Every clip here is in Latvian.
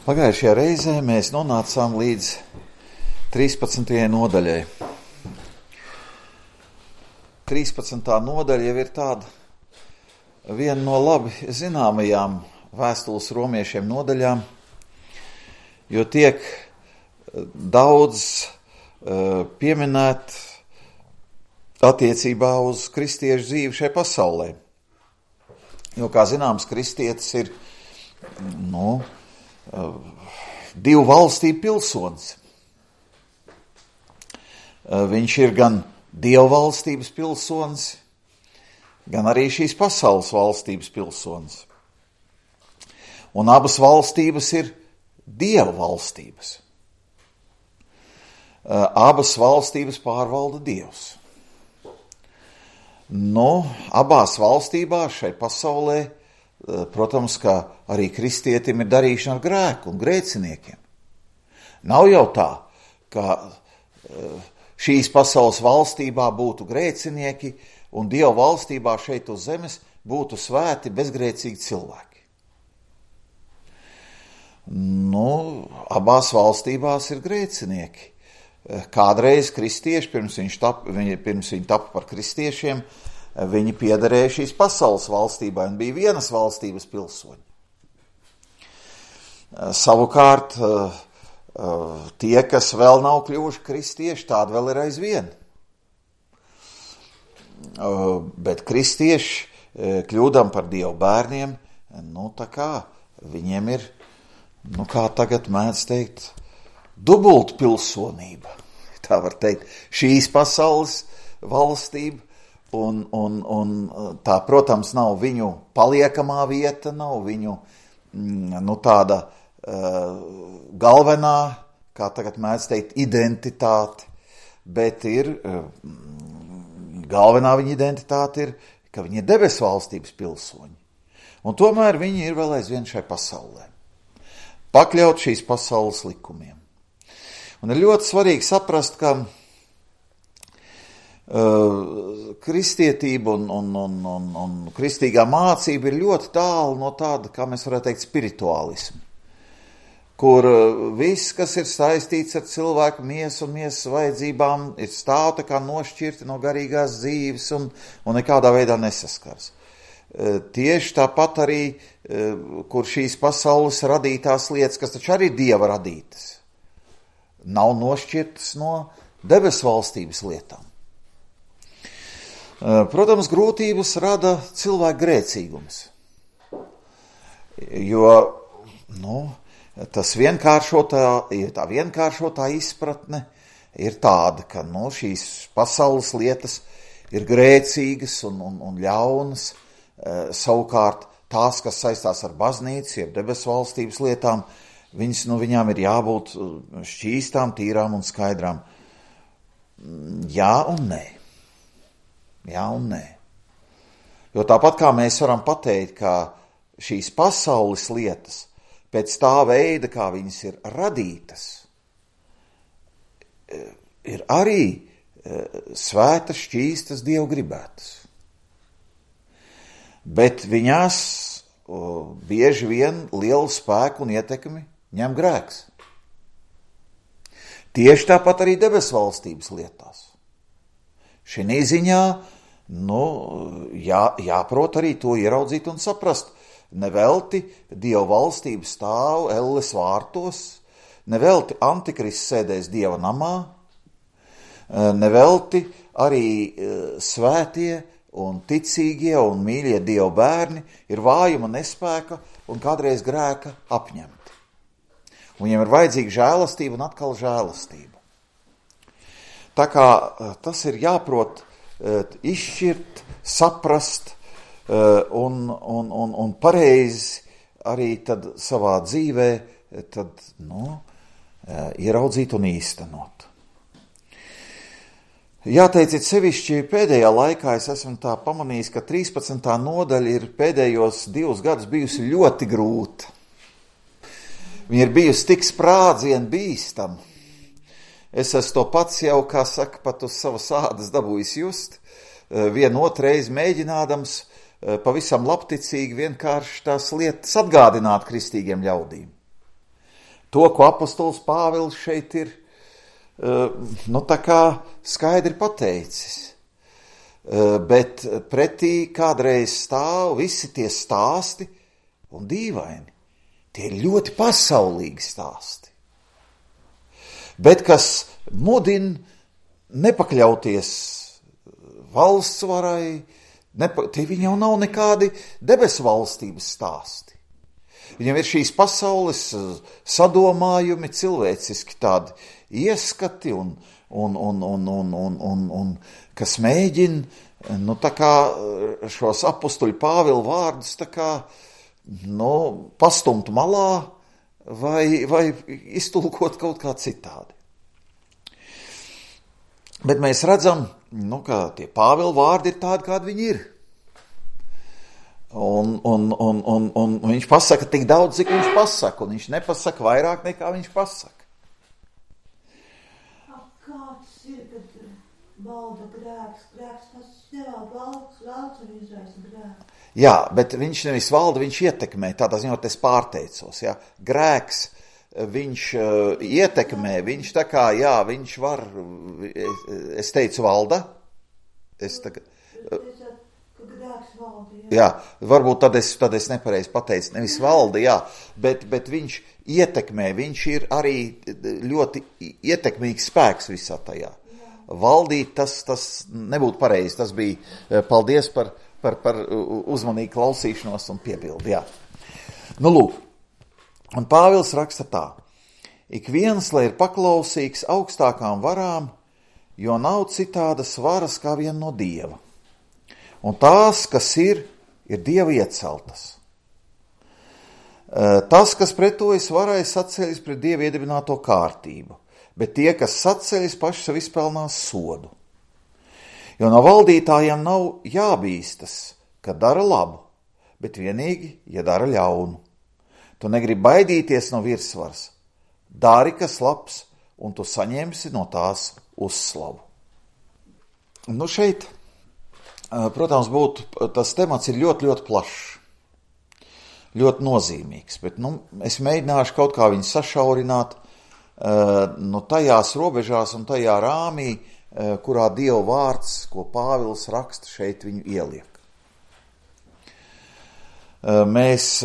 Pagājušajā reizē mēs nonācām līdz 13. nodaļai. 13. nodaļa jau ir tāda viena no labi zināmajām vēstules romiešiem nodaļām, jo tiek daudz pieminēt attiecībā uz kristiešu dzīvi šajā pasaulē. Jo, kā zināms, kristietis ir divu valstību pilsonis. Viņš ir gan Dieva valstības pilsonis, gan arī šīs pasaules valstības pilsonis. Un abas valstības ir Dieva valstības. Abas valstības pārvalda Dievs. Abās valstībās šai pasaulē, protams, ka arī kristietim ir darīšana ar grēku un grēciniekiem. Nav jau tā, ka šīs pasaules valstībā būtu grēcinieki un Dieva valstībā šeit uz zemes būtu svēti bezgrēcīgi cilvēki. Abās valstībās ir grēcinieki. Kādreiz kristieši, pirms viņi tapa par kristiešiem, viņi piederēja šīs pasaules valstībai un bija vienas valstības pilsoņi. Savukārt, tie, kas vēl nav kļuvuši kristieši, tādi vēl ir aizvien. Bet kristieši, kļūdam par Dievu bērniem, viņiem ir, kā tagad mēdz teikt, dubult pilsonība. Tā var teikt, šīs pasaules valstība, un tā, protams, nav viņu paliekamā vieta, nav viņu, tāda galvenā, kā tagad mēdz teikt, identitāte, bet ir, galvenā viņa identitāte ir, ka viņi ir debesu valstības pilsoņi. Un tomēr viņi ir vēl aizvien šai pasaulē. Pakļaut šīs pasaules likumiem. Un ir ļoti svarīgi saprast, ka kristietība un kristīgā mācība ir ļoti tālu no tāda, kā mēs varētu teikt, spirituālismu, kur viss, kas ir saistīts ar cilvēku miesu un miesas vajadzībām, ir stāv tā kā nošķirti no garīgās dzīves un nekādā veidā nesaskars. Tieši tāpat arī, kur šīs pasaules radītās lietas, kas taču arī Dieva radītas, nav nošķirtas no debesu valstības lietām. Protams, grūtības rada cilvēku grēcīgums, jo, tā vienkāršotā izpratne ir tāda, ka, šīs pasaules lietas ir grēcīgas un ļaunas, savukārt tās, kas saistās ar baznīcu, jeb debesu valstības lietām, viņām ir jābūt šķīstām, tīrām un skaidrām. Jā un nē. Jā un nē. Jo tāpat kā mēs varam pateikt, ka šīs pasaules lietas pēc tā veida, kā viņas ir radītas, ir arī svētas, šķīstas, Dievu gribētas. Bet viņās bieži vien lielu spēku un ietekmi ņem grēks. Tieši tāpat arī debesu valstības lietās. Šī ziņā, jāprot arī to ieraudzīt un saprast. Nevelti Dieva valstība stāv elles vārtos, nevelti antikrists sēdēs Dieva namā, nevelti arī svētie un ticīgie un mīļie Dieva bērni ir vājuma, nespēka un kādreiz grēka apņemti. Un viņiem ir vajadzīga žēlastība un atkal žēlastība. Tā kā tas ir jāprot izšķirt, saprast un pareizi arī tad savā dzīvē ieraudzīt un īstenot. Jāteic, it sevišķi pēdējā laikā es esmu tā pamanījis, ka 13. nodaļa ir pēdējos 2 gadus bijusi ļoti grūta. Viņa ir bijusi tik sprādzienu bīstama. Es esmu to pats jau, kā saka, pat uz savas ādas dabūjis just, vienu otru reizi mēģinādams pavisam labticīgi vienkārši tās lietas atgādināt kristīgiem ļaudīm. to, ko apostols Pāvils šeit ir, tā kā skaidri pateicis. Bet pretī kādreiz stāv visi tie stāsti un dīvaini. Tie ir ļoti pasaulīgi stāsti. Bet kas mudina nepakļauties valsts varai, tie viņam jau nav nekādi debesu valstības stāsti. Viņam ir šīs pasaules sadomājumi, cilvēciski tādi ieskati un kas mēģina, tā kā šos apustuļu Pāvila vārdus tā kā, pastumt malā vai iztulkot kaut kā citādi. Bet mēs redzam, ka tie Pāvila vārdi ir tādi, kādi viņi ir. Un viņš pasaka tik daudz, cik viņš pasaka, un viņš nepasaka vairāk nekā viņš pasaka. Kāds ir, kad valda grēks? Grēks tas nevalda, valds un izraisa grēku. Jā, bet viņš nevis valda, viņš ietekmē, tādā ziņā, es pārteicos, jā. Grēks, viņš ietekmē, viņš tā kā, jā, viņš var, es teicu valda, jā, varbūt tad es nepareizi pateicu, nevis valda, jā, bet viņš ietekmē, viņš ir arī ļoti ietekmīgs spēks visā tajā. Valdīt, tas nebūtu pareizi, tas bija, paldies par uzmanīgu klausīšanos un piebildi, jā. Lūk, un Pāvils raksta tā: ik viens, lai ir paklausīgs augstākām varām, jo nav citādas varas kā vien no Dieva. Un tās, kas ir Dieva ieceltas. Tas, kas pretojas varai, saceļas pret Dieva iedibināto kārtību, bet tie, kas saceļas, paši sev izpelnās sodu. Jo no valdītājiem nav jābīstas, ka dara labu, bet vienīgi, ja dara ļaunu. Tu negribi baidīties no virsvaras. Dari, kas labs, un tu saņemsi no tās uzslavu. Šeit, protams, tas temats ir ļoti, ļoti plašs, ļoti nozīmīgs, bet es mēģināšu kaut kā viņu sašaurināt tajās robežās un tajā rāmī, kurā Dieva vārds, ko Pāvils raksta, šeit viņu ieliek. Mēs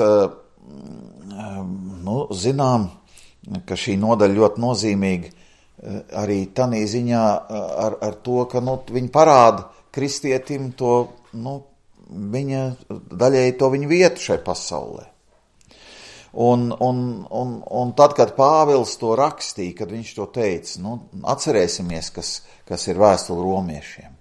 zinām, ka šī nodaļa ļoti nozīmīga arī tanī ziņā ar to, ka viņi parāda kristietim to, viņa daļēji to viņa vietu šai pasaulē. Un tad, kad Pāvils to rakstīja, kad viņš to teica, atcerēsimies, kas ir vēstule romiešiem.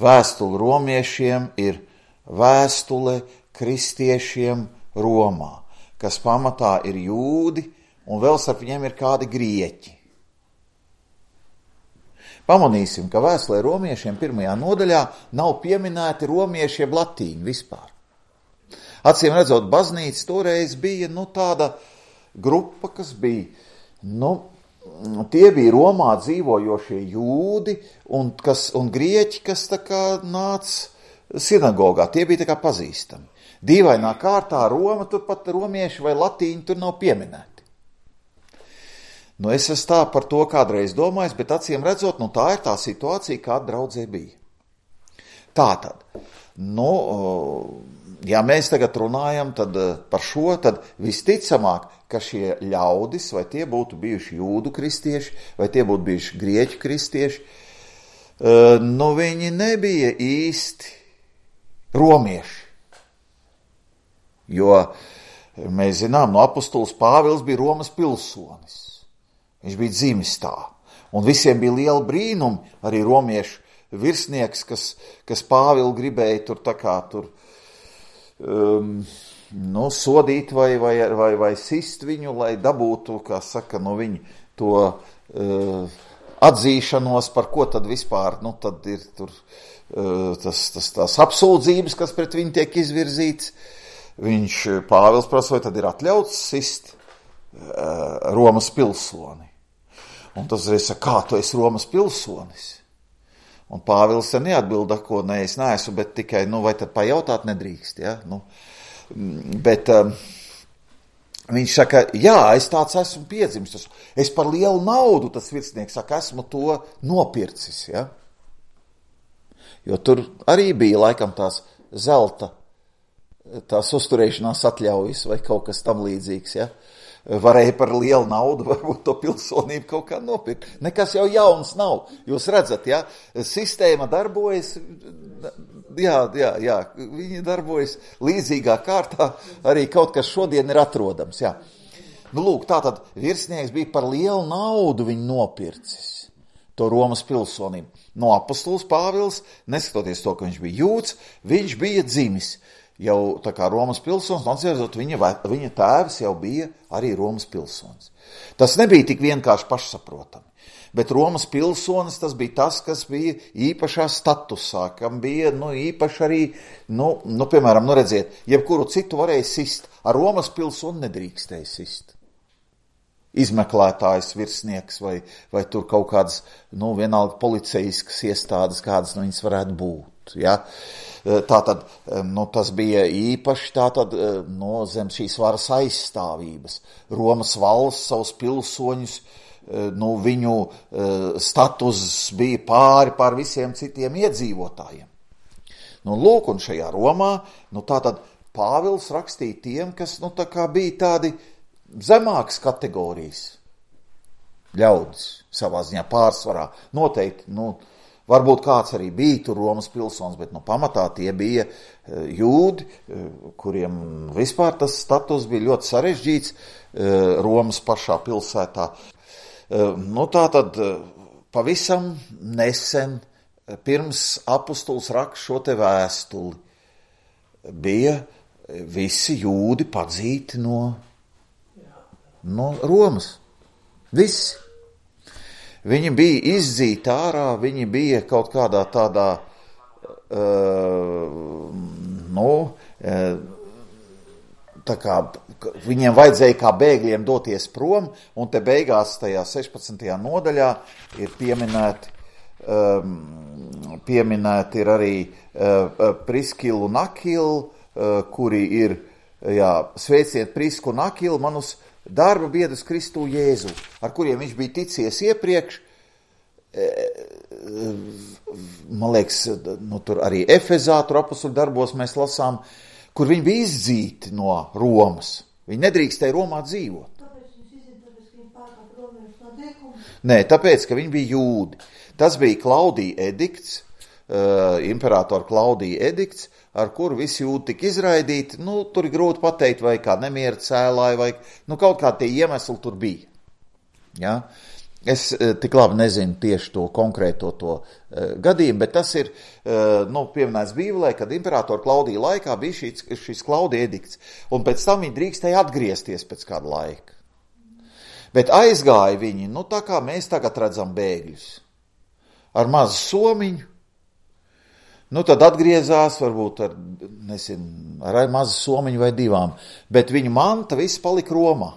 Vēstule romiešiem ir vēstule kristiešiem Romā, kas pamatā ir jūdi, un vēl starp viņiem ir kādi grieķi. Pamanīsim, ka vēstulē romiešiem 1. nodaļā nav pieminēti romieši jeb latīņi vispār. Acīm redzot, baznīca toreiz bija tāda grupa, kas bija, tie bija Romā dzīvojošie jūdi un grieķi, kas tā kā nāca sinagogā, tie bija tā kā pazīstami. Dīvainā kārtā Roma, tur pat romieši vai latīņi tur nav pieminēti. Es esmu tā par to kādreiz domājis, bet acīm redzot, tā ir tā situācija, kāda draudzē bija. Tātad, ja mēs tagad runājam par šo, tad visticamāk, ka šie ļaudis, vai tie būtu bijuši jūdu kristieši, vai tie būtu bijuši grieķu kristieši, viņi nebija īsti romieši. Jo mēs zinām, apustulis Pāvils bija Romas pilsonis. Viņš bija dzimis tā. Un visiem bija liela brīnumi, arī romiešu virsnieks, kas Pāvilu gribēja sodīt vai sist viņu, lai dabūtu, kā saka, viņu to atzīšanos, par ko tad vispār, tad ir tur tās apsūdzības, kas pret viņu tiek izvirzīts. Pāvils prasa, vai tad ir atļauts sist Romas pilsoni. Un tas reiz saka, kā tu esi Romas pilsonis? Un Pāvils te neatbilda, ko es neesmu, bet tikai, vai tad pajautāt nedrīkst, ja? Bet viņš saka, jā, es tāds esmu piedzimis, es par lielu naudu, tas virsnieks saka, esmu to nopircis, ja? Jo tur arī bija laikam tās zelta, tās uzturēšanās atļaujas vai kaut kas tam līdzīgs, ja? Varēja par lielu naudu varbūt to pilsonību kaut kā nopirkt. Nekas jau jauns nav. Jūs redzat, ja? Sistēma darbojas, jā, viņi darbojas līdzīgā kārtā, arī kaut kas šodien ir atrodams, jā. Nu, lūk, tātad virsnieks bija par lielu naudu viņu nopircis, to Romas pilsonību. No apostols Pāvils, neskatoties to, ka viņš bija jūds, viņš bija dzimis. Jau tā kā Romas pilsonis, atcerot, viņa tēvs jau bija arī Romas pilsonis. Tas nebija tik vienkārši pašsaprotami, bet Romas pilsonis tas bija tas, kas bija īpašā statusā, kam bija, īpaši arī, piemēram, redziet, jebkuru citu varēja sist, ar Romas pilsoni nedrīkstēja sist. Izmeklētājs, virsnieks vai tur kaut kādas, vienalga policijiskas iestādes, kādas viņas varētu būt, ja. Tātad, tas bija īpaši zem šīs varas aizstāvības. Romas valsts savus pilsoņus, viņu status bija pār visiem citiem iedzīvotājiem. Lūk, un šajā Romā, tātad Pāvils rakstīja tiem, kas, tā kā bija tādi zemākas kategorijas ļaudis savā ziņā pārsvarā. Noteikti, varbūt kāds arī bija tur Romas pilsonis, bet pamatā tie bija jūdi, kuriem vispār tas status bija ļoti sarežģīts Romas pašā pilsētā. Tātad pavisam nesen, pirms apostols raksta šo te vēstuli, bija visi jūdi padzīti no Romas. Visi. Viņi bija izdzīti ārā, viņi bija kaut kādā tādā, tā kā viņiem vajadzēja kā bēgļiem doties prom, un te beigās tajā 16. nodaļā ir pieminēti ir arī Priskilu un Akilu, kuri ir, sveiciet Prisku un Akilu manus darba biedrus Kristu Jēzu, ar kuriem viņš bija ticies iepriekš, man liekas, tur arī Efezā, tur apostoļu darbos mēs lasām, kur viņi bija izdzīti no Romas. Viņi nedrīkstēja Romā dzīvot. Nē, tāpēc, ka viņi bija jūdi. Tas bija Klaudija edikts, imperatora Klaudija edikts, ar kuru visi jūdi tika izraidīti. Tur ir grūti pateikt, vai kā nemiera cēlāja, vai kaut kā tie iemesli tur bija. Ja? Es tik labi nezinu tieši to konkrēto gadījumu, bet tas ir pieminēts Bībelē, kad imperatora Klaudija laikā bija šis Klaudija edikts, un pēc tam viņi drīkstēja atgriezties pēc kāda laika. Bet aizgāja viņi, tā kā mēs tagad redzam bēgļus, ar mazu somiņu, tad atgriezās varbūt ar mazu somiņu vai divām, bet viņu manta viss palika Romā.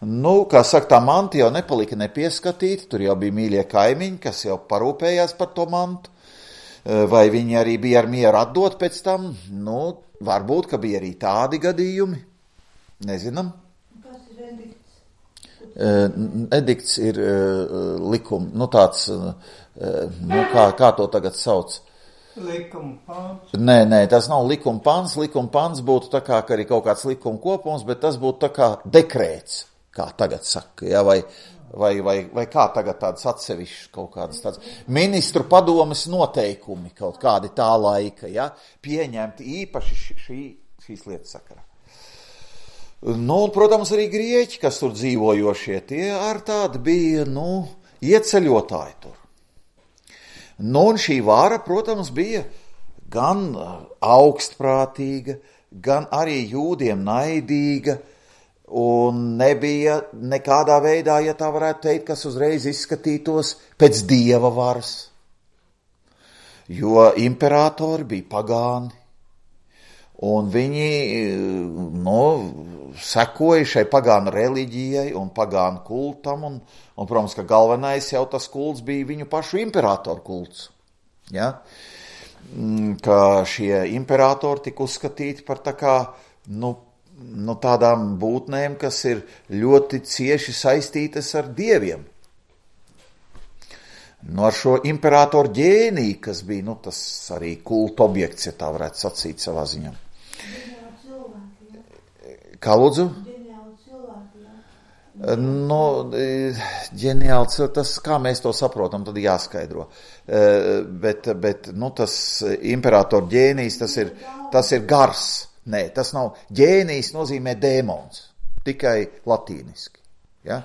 Kā saka, tā manta jau nepalika nepieskatīta, tur jau bija mīļie kaimiņi, kas jau parūpējās par to mantu, vai viņi arī bija ar mieru atdot pēc tam, varbūt, ka bija arī tādi gadījumi, nezinām. Kas ir edikts? Edikts ir likums, tāds, kā to tagad sauc? Likuma pāns. Nē, tas nav likuma pāns. Likuma pāns būtu tā kā arī kaut kāds likuma kopums, bet tas būtu tā kā dekrēts, kā tagad saka, ja, vai kā tagad tādas atsevišķas kaut kādas tādas ministru padomes noteikumi kaut kādi tā laika, ja, pieņemti īpaši šīs lietas sakarā. Un, protams, arī grieķi, kas tur dzīvojošie, tie ar tādi bija, ieceļotāji tur. Un šī vara, protams, bija gan augstprātīga, gan arī jūdiem naidīga, un nebija nekādā veidā, ja tā varētu teikt, kas uzreiz izskatītos pēc dieva varas. Jo imperatori bija pagāni, un viņi, sekoja šai pagānu reliģijai un pagānu kultam, un, protams, ka galvenais jau tas kults bija viņu pašu imperatoru kults. Ja? Ka šie imperatori tika uzskatīti par tā kā, tādām būtnēm, kas ir ļoti cieši saistītas ar dieviem. Ar šo imperatoru ģēniju, kas bija, tas arī kulta objekts, ja tā varētu sacīt savā ziņā. Kā lūdzu? Ģeniāli cilvēki, tas, kā mēs to saprotam, tad jāskaidro. Bet tas imperatoru ģēnijs, tas ir gars. Nē, tas nav. Ģēnijs nozīmē dēmons, tikai latīniski. Ja?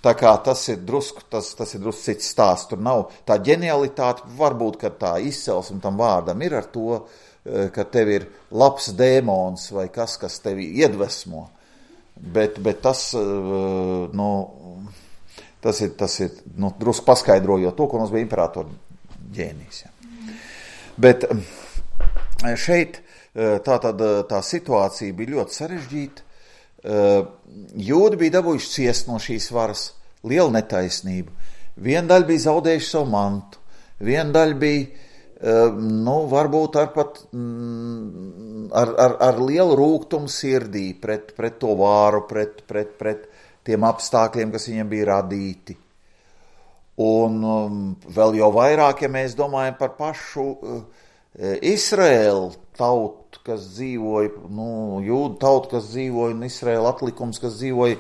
Tā kā tas ir drusku cits stāsts. Tur nav tā ģenialitāte, varbūt, ka tā izcelsme tam vārdam ir ar to, ka tev ir labs dēmons vai kas tevi iedvesmo. Bet tas ir drusku paskaidrojot to, ko mums bija imperatoru ģēnijs. Ja. Bet šeit tā situācija bija ļoti sarežģīta. Jūdi bija dabūjuši ciest no šīs varas, liela netaisnība. Viena daļa bija zaudējuši savu mantu, viena daļa bija, varbūt ar lielu rūgtumu sirdī pret to vāru, pret tiem apstākļiem, kas viņiem bija radīti. Un vēl jau vairāk, ja mēs domājam par pašu Izraēlu tautu, kas dzīvoja, jūdu tautu, kas dzīvoja, un Izraēla atlikums, kas dzīvoja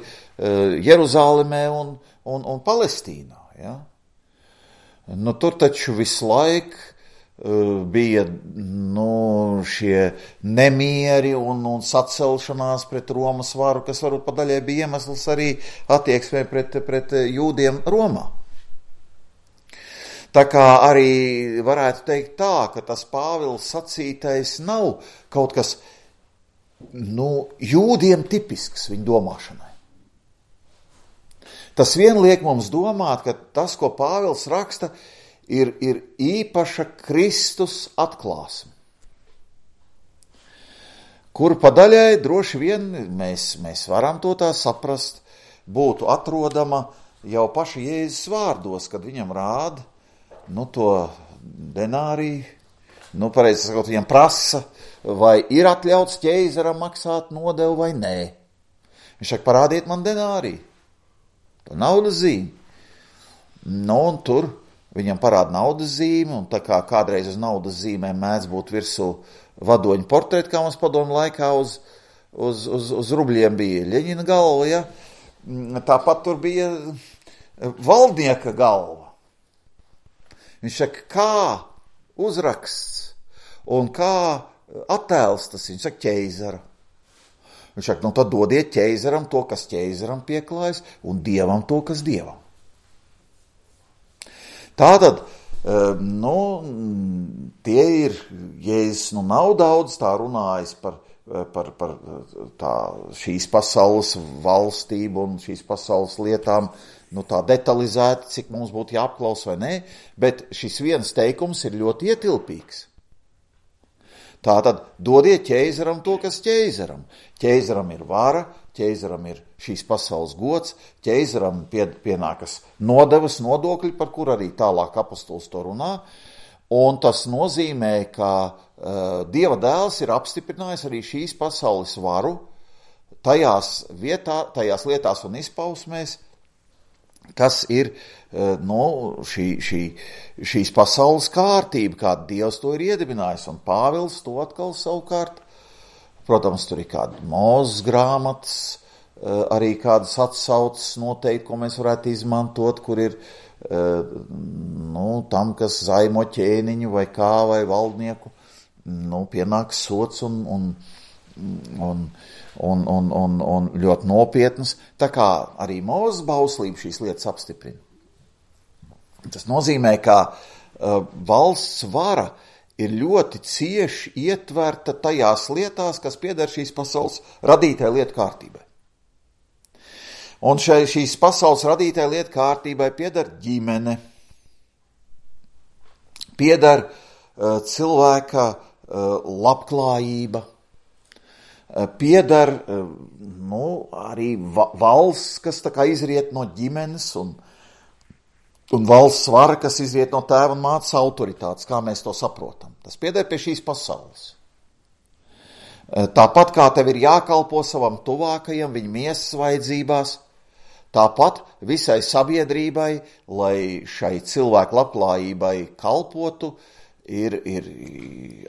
Jeruzālemē un Palestīnā. Ja? Tur taču visu laiku bija šie nemieri un sacelšanās pret Romas varu, kas varbūt pa daļai bija iemesls arī attieksmē pret jūdiem Romā. Tā kā arī varētu teikt tā, ka tas Pāvils sacītais nav kaut kas jūdiem tipisks viņa domāšanai. Tas vien liek mums domāt, ka tas, ko Pāvils raksta, ir īpaša Kristus atklāsme, kur pa daļai droši vien mēs varam to tā saprast, būtu atrodama jau paša Jēzus vārdos, kad viņam rāda to denāriju, pareizi sakot, viņam prasa, vai ir atļauts ķeizaram maksāt nodevu vai nē. Viņš saka, parādiet man denāriju, to naudas zīmi. Un tur viņam parāda naudas zīmi, un tā kā kādreiz uz naudas zīmēm mēdz būt virsū vadoņu portreti, kā mums padomu laikā uz rubļiem bija Ļeņina galva, ja? Tāpat tur bija valdnieka galva. Viņš saka, kā uzraksts un kā attēls tas, viņš saka, ķeizara. Viņš saka, tad dodiet ķeizaram to, kas ķeizaram pieklājas, un dievam to, kas dievam. Tātad, tie ir, Jēzus nav daudz tā runājis par šīs pasaules valstību un šīs pasaules lietām, tā detalizēti, cik mums būtu jāapklaus vai nē, bet šis viens teikums ir ļoti ietilpīgs. Tātad, dodiet ķeizaram to, kas ķeizaram. Ķeizaram ir vara, ķeizaram ir šīs pasaules gods, ķeizaram pienākas nodevas, nodokļi, par kur arī tālāk apostols to runā, un tas nozīmē, ka Dieva dēls ir apstiprinājis arī šīs pasaules varu tajās lietās un izpausmēs, kas ir šīs pasaules kārtība, kāda Dievs to ir iedibinājis, un Pāvils to atkal savukārt, protams, tur ir kāda Mūzes grāmatas, arī kādas atsauces noteikti, ko mēs varētu izmantot, kur ir tam, kas zaimo ķēniņu vai kā vai valdnieku, pienāks sots un ļoti nopietnas, tā kā arī Mūzes bauslība šīs lietas apstiprina. Tas nozīmē, ka valsts vara ir ļoti cieši ietverta tajās lietās, kas pieder šīs pasaules radītāja lietu kārtībai. Un šīs pasaules radītāja lietu kārtībai pieder ģimene, pieder cilvēka labklājība, pieder arī valsts, kas tā kā izriet no ģimenes, un valsts vara, kas izriet no tēva un mātes autoritātes, kā mēs to saprotam. Tas pieder pie šīs pasaules. Tāpat kā tev ir jākalpo savam tuvākajam viņa miesas vajadzībās, tāpat visai sabiedrībai, lai šai cilvēku labklājībai kalpotu, ir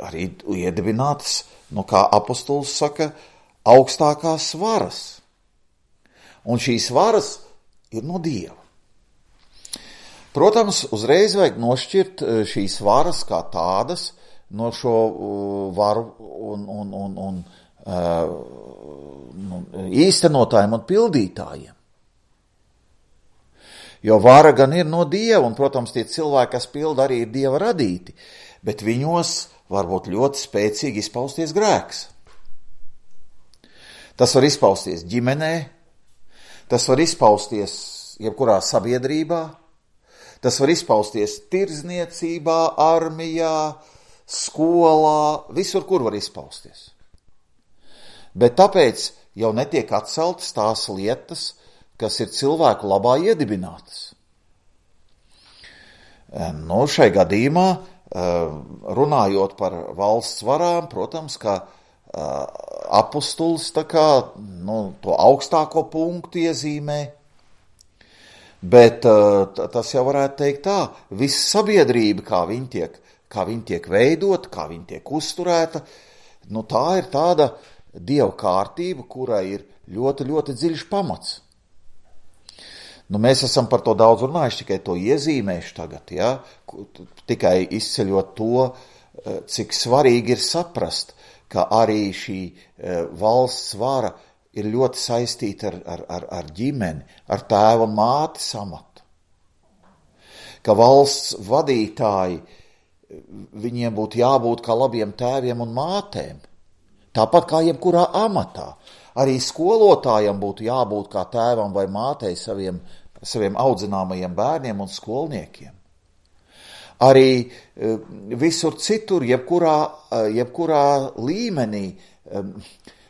arī iedibinātas, kā apostols saka, augstākās varas. Un šīs varas ir no Dieva. Protams, uzreiz vajag nošķirt šīs varas kā tādas no šo varu un īstenotājiem un pildītājiem. Jo vara gan ir no Dieva, un, protams, tie cilvēki, kas pilda, arī ir Dieva radīti, bet viņos var būt ļoti spēcīgi izpausties grēks. Tas var izpausties ģimenē, tas var izpausties jebkurā sabiedrībā, tas var izpausties tirdzniecībā, armijā, skolā, visur, kur var izpausties. Bet tāpēc jau netiek atceltas tās lietas, kas ir cilvēku labā iedibinātas. Šai gadījumā, runājot par valsts varām, protams, ka apostols to augstāko punktu iezīmē, bet tas jau varētu teikt tā, visa sabiedrība, kā viņa tiek veidota, kā viņa tiek uzturēta, tā ir tāda Dieva kārtība, kurai ir ļoti, ļoti dziļš pamats. Mēs esam par to daudz runājuši, tikai to iezīmēšu tagad, ja? Tikai izceļot to, cik svarīgi ir saprast, ka arī šī valsts vara ir ļoti saistīta ar ģimeni, ar tēva un mātes amatu. Ka valsts vadītāji, viņiem būtu jābūt kā labiem tēviem un mātēm. Tāpat kā jebkurā amatā. Arī skolotājam būtu jābūt kā tēvam vai mātei saviem audzināmajiem bērniem un skolniekiem. Arī visur citur, jebkurā līmenī,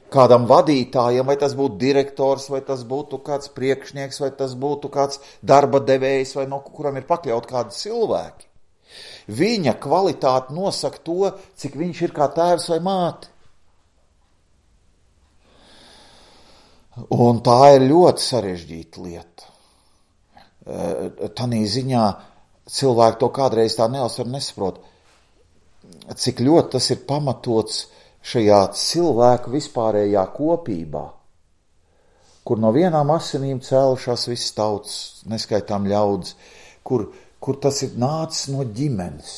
kādam vadītājam, vai tas būtu direktors, vai tas būtu kāds priekšnieks, vai tas būtu kāds darba devējs, vai no kuram ir pakļaut kādi cilvēki. Viņa kvalitāte nosaka to, cik viņš ir kā tēvs vai māte. Un tā ir ļoti sarežģīta lieta. Tanī ziņā cilvēki to kādreiz tā neuzsver un nesaprot, cik ļoti tas ir pamatots šajā cilvēku vispārējā kopībā, kur no vienām asinīm cēlušās visas tautas, neskaitām ļaudis, kur tas ir nācis no ģimenes.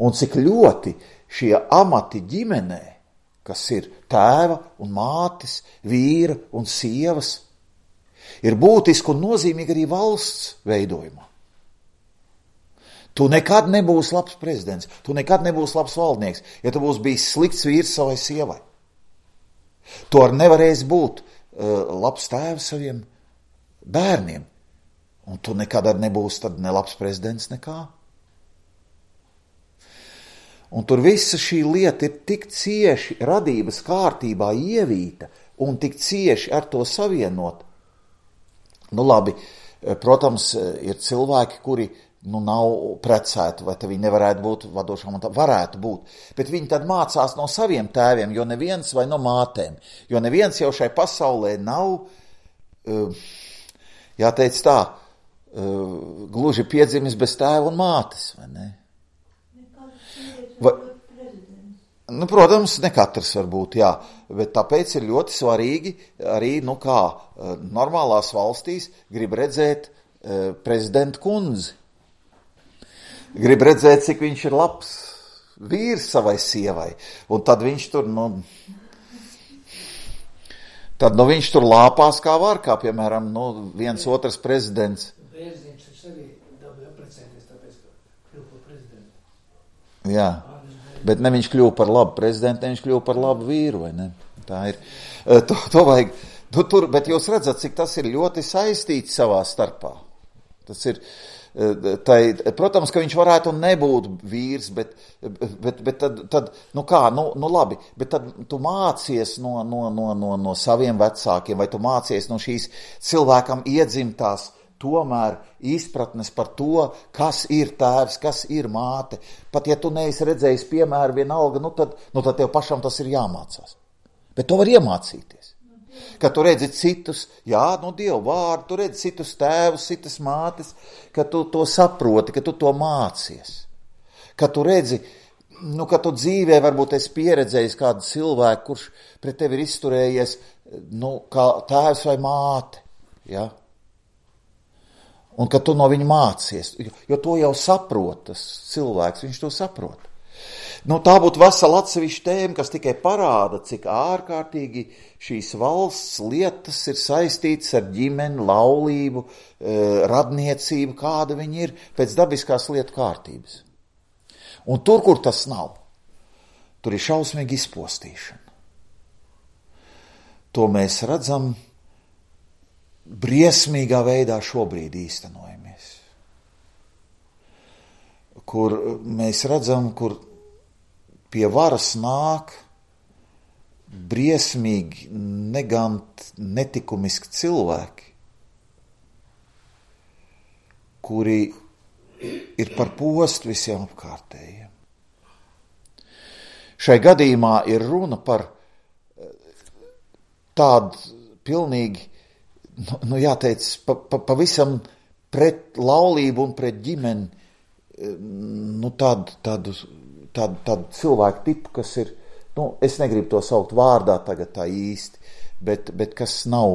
Un cik ļoti šie amati ģimenē, kas ir tēva un mātes, vīra un sievas, ir būtiski un nozīmīgi arī valsts veidojumā. Tu nekad nebūsi labs prezidents, tu nekad nebūsi labs valdnieks, ja tu būsi bijis slikts vīrs savai sievai. Tu arī nevarēsi būt labs tēvs saviem bērniem, un tu nekad arī nebūsi tad ne labs prezidents nekā. Un tur visa šī lieta ir tik cieši radības kārtībā ievīta un tik cieši ar to savienot. Labi, protams, ir cilvēki, kuri nav precēti, vai viņi nevarētu būt vadošām, un varētu būt, bet viņi tad mācās no saviem tēviem, jo neviens vai no mātēm, jo neviens jau šai pasaulē nav, jāteic tā, gluži piedzimis bez tēva un mātes, vai ne? Protams, ne katrs var būt, jā, bet tāpēc ir ļoti svarīgi arī, kā normālās valstīs grib redzēt prezidentu kundzi. Grib redzēt, cik viņš ir labs vīrs savai sievai, un tad viņš tur, viņš tur lāpās kā var, kā piemēram, viens otrs prezidents. Bērziņš taču arī dabūja apprecēties, tāpēc, ka kļuva par prezidentu. Jā, bet ne viņš kļuva par labu prezidentu, ne viņš kļuva par labu vīru, vai ne? Tā ir. To vajag, bet jūs redzat, cik tas ir ļoti saistīts savā starpā. Tas ir, protams, ka viņš varētu nebūt vīrs, bet tad labi, bet tad tu mācies no saviem vecākiem, vai tu mācies no šīs cilvēkam iedzimtās tomēr izpratnes par to, kas ir tēvs, kas ir māte. Pat ja tu neesi redzējis piemēru vienalga, tad tev pašam tas ir jāmācās. Bet to var iemācīties. Kad tu redzi citus, Dievu vārdu, tu redzi citus tēvus, citas mātes, ka tu to saproti, ka tu to mācies. Kad tu redzi, ka tu dzīvē varbūt esi pieredzējis kādu cilvēku, kurš pret tevi ir izturējies, kā tēvs vai māte, ja? Un ka tu no viņa mācies, jo to jau saprot tas cilvēks, viņš to saprot. Tā būtu vesela atsevišķa tēma, kas tikai parāda, cik ārkārtīgi šīs valsts lietas ir saistītas ar ģimeni, laulību, radniecību, kāda viņi ir pēc dabiskās lietu kārtības. Un tur, kur tas nav, tur ir šausmīga izpostīšana. To mēs redzam briesmīgā veidā šobrīd īstenojamies. Kur mēs redzam, kur pie varas nāk briesmīgi, netikumiski cilvēki, kuri ir par postu visiem apkārtējiem. Šai gadījumā ir runa par tādu pilnīgi, jāteic, pavisam pret laulību un pret ģimeni, tādu cilvēku tipu, kas ir, es negribu to saukt vārdā tagad tā īsti, bet kas nav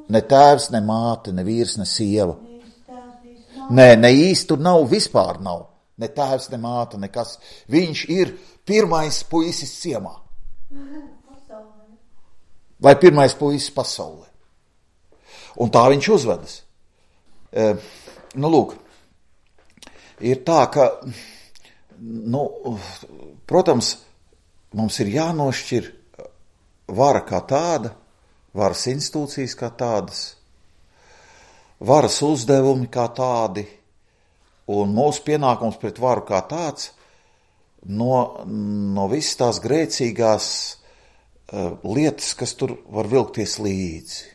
ne tēvs, ne māte, ne vīrs, ne sieva. Nē, ne īsti tur nav, vispār nav. Ne tēvs, ne māte, nekas. Viņš ir pirmais puisis ciemā. Vai pirmais puisis pasaulē. Un tā viņš uzvedas. Lūk, ir tā, ka, protams, mums ir jānošķir vara kā tāda, varas institūcijas kā tādas, varas uzdevumi kā tādi, un mūsu pienākums pret varu kā tāds no visas tās grēcīgās lietas, kas tur var vilkties līdzi.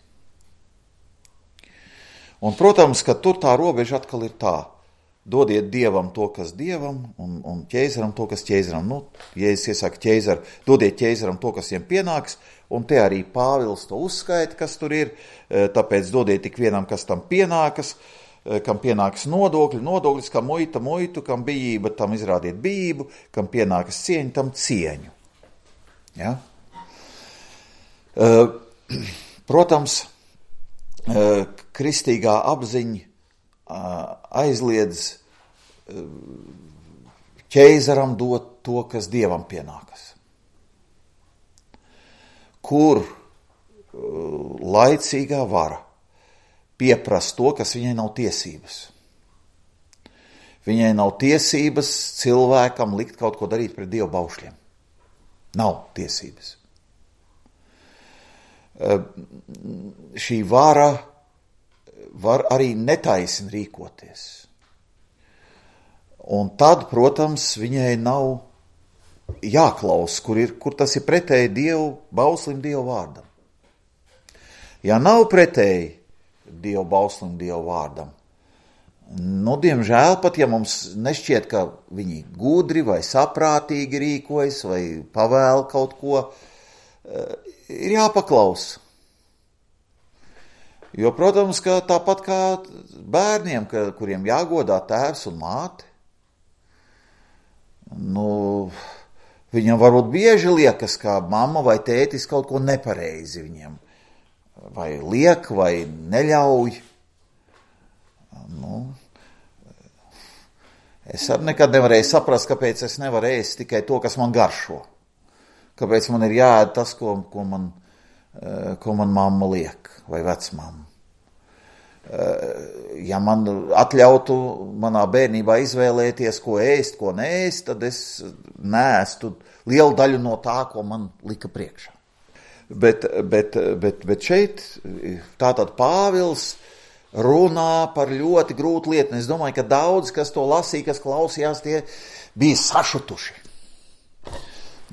Un, protams, ka tur tā robeža atkal ir tā. Dodiet Dievam to, kas Dievam, un ķeizaram to, kas ķeizaram. Jēzus iesaka ķeizaru, dodiet ķeizaram to, kas viņam pienāks, un te arī Pāvils to uzskaita, kas tur ir, tāpēc dodiet tik vienam, kas tam pienākas, kam pienākas nodokļus, kam muitu, kam bijība, tam izrādiet bijību, kam pienākas cieņa, tam cieņu. Ja? Protams, kristīgā apziņa aizliedz ķeizaram dot to, kas Dievam pienākas. Kur laicīgā vara pieprasa to, kas viņai nav tiesības. Viņai nav tiesības cilvēkam likt kaut ko darīt pret Dievu baušļiem. Nav tiesības. Šī vara var arī netaisni rīkoties. Un tad, protams, viņai nav jāklaus, kur tas ir pretēji Dievu bauslim, Dievu vārdam. Ja nav pretēji Dievu bauslim, Dievu vārdam, diemžēl pat, ja mums nešķiet, ka viņi gudri vai saprātīgi rīkojas vai pavēl kaut ko, ir jāpaklaus. Jo, protams, ka tāpat kā bērniem, kuriem jāgodā tēvs un māte, viņam varbūt bieži liekas, ka mamma vai tētis kaut ko nepareizi viņiem vai liek, vai neļauj. Es arī nekad nevarēju saprast, kāpēc es nevaru ēst tikai to, kas man garšo. Kāpēc man ir jāēd tas, ko man mamma liek, vai vecmamma. Ja man atļautu manā bērnībā izvēlēties, ko ēst, ko neēst, tad es neēstu lielu daļu no tā, ko man lika priekšā. Bet šeit tātad Pāvils runā par ļoti grūtu lietu. Es domāju, ka daudz, kas to lasīja, kas klausījās, tie bija sašutuši.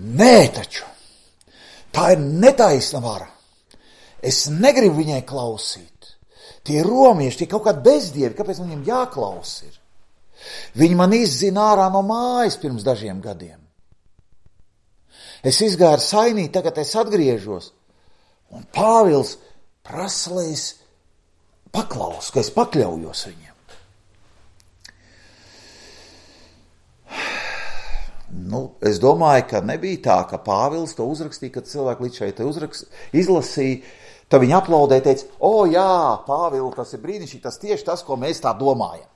Nē, taču, tā ir netaisna vara. Es negribu viņai klausīt. Tie romieši, tie kaut kādi bezdievi, kāpēc viņiem jāklaus ir? Viņi man izzina ārā no mājas pirms dažiem gadiem. Es izgāju ar sainī, tagad es atgriežos. Un Pāvils prasa, lai es paklausu, ka es pakļaujos viņiem. Es domāju, ka nebija tā, ka Pāvils to uzrakstīja, kad cilvēki līdz šeit izlasīja, tad viņi aplaudēja, teica, jā, Pāvils, tas ir brīnišķīgi, tas tieši tas, ko mēs tā domājam.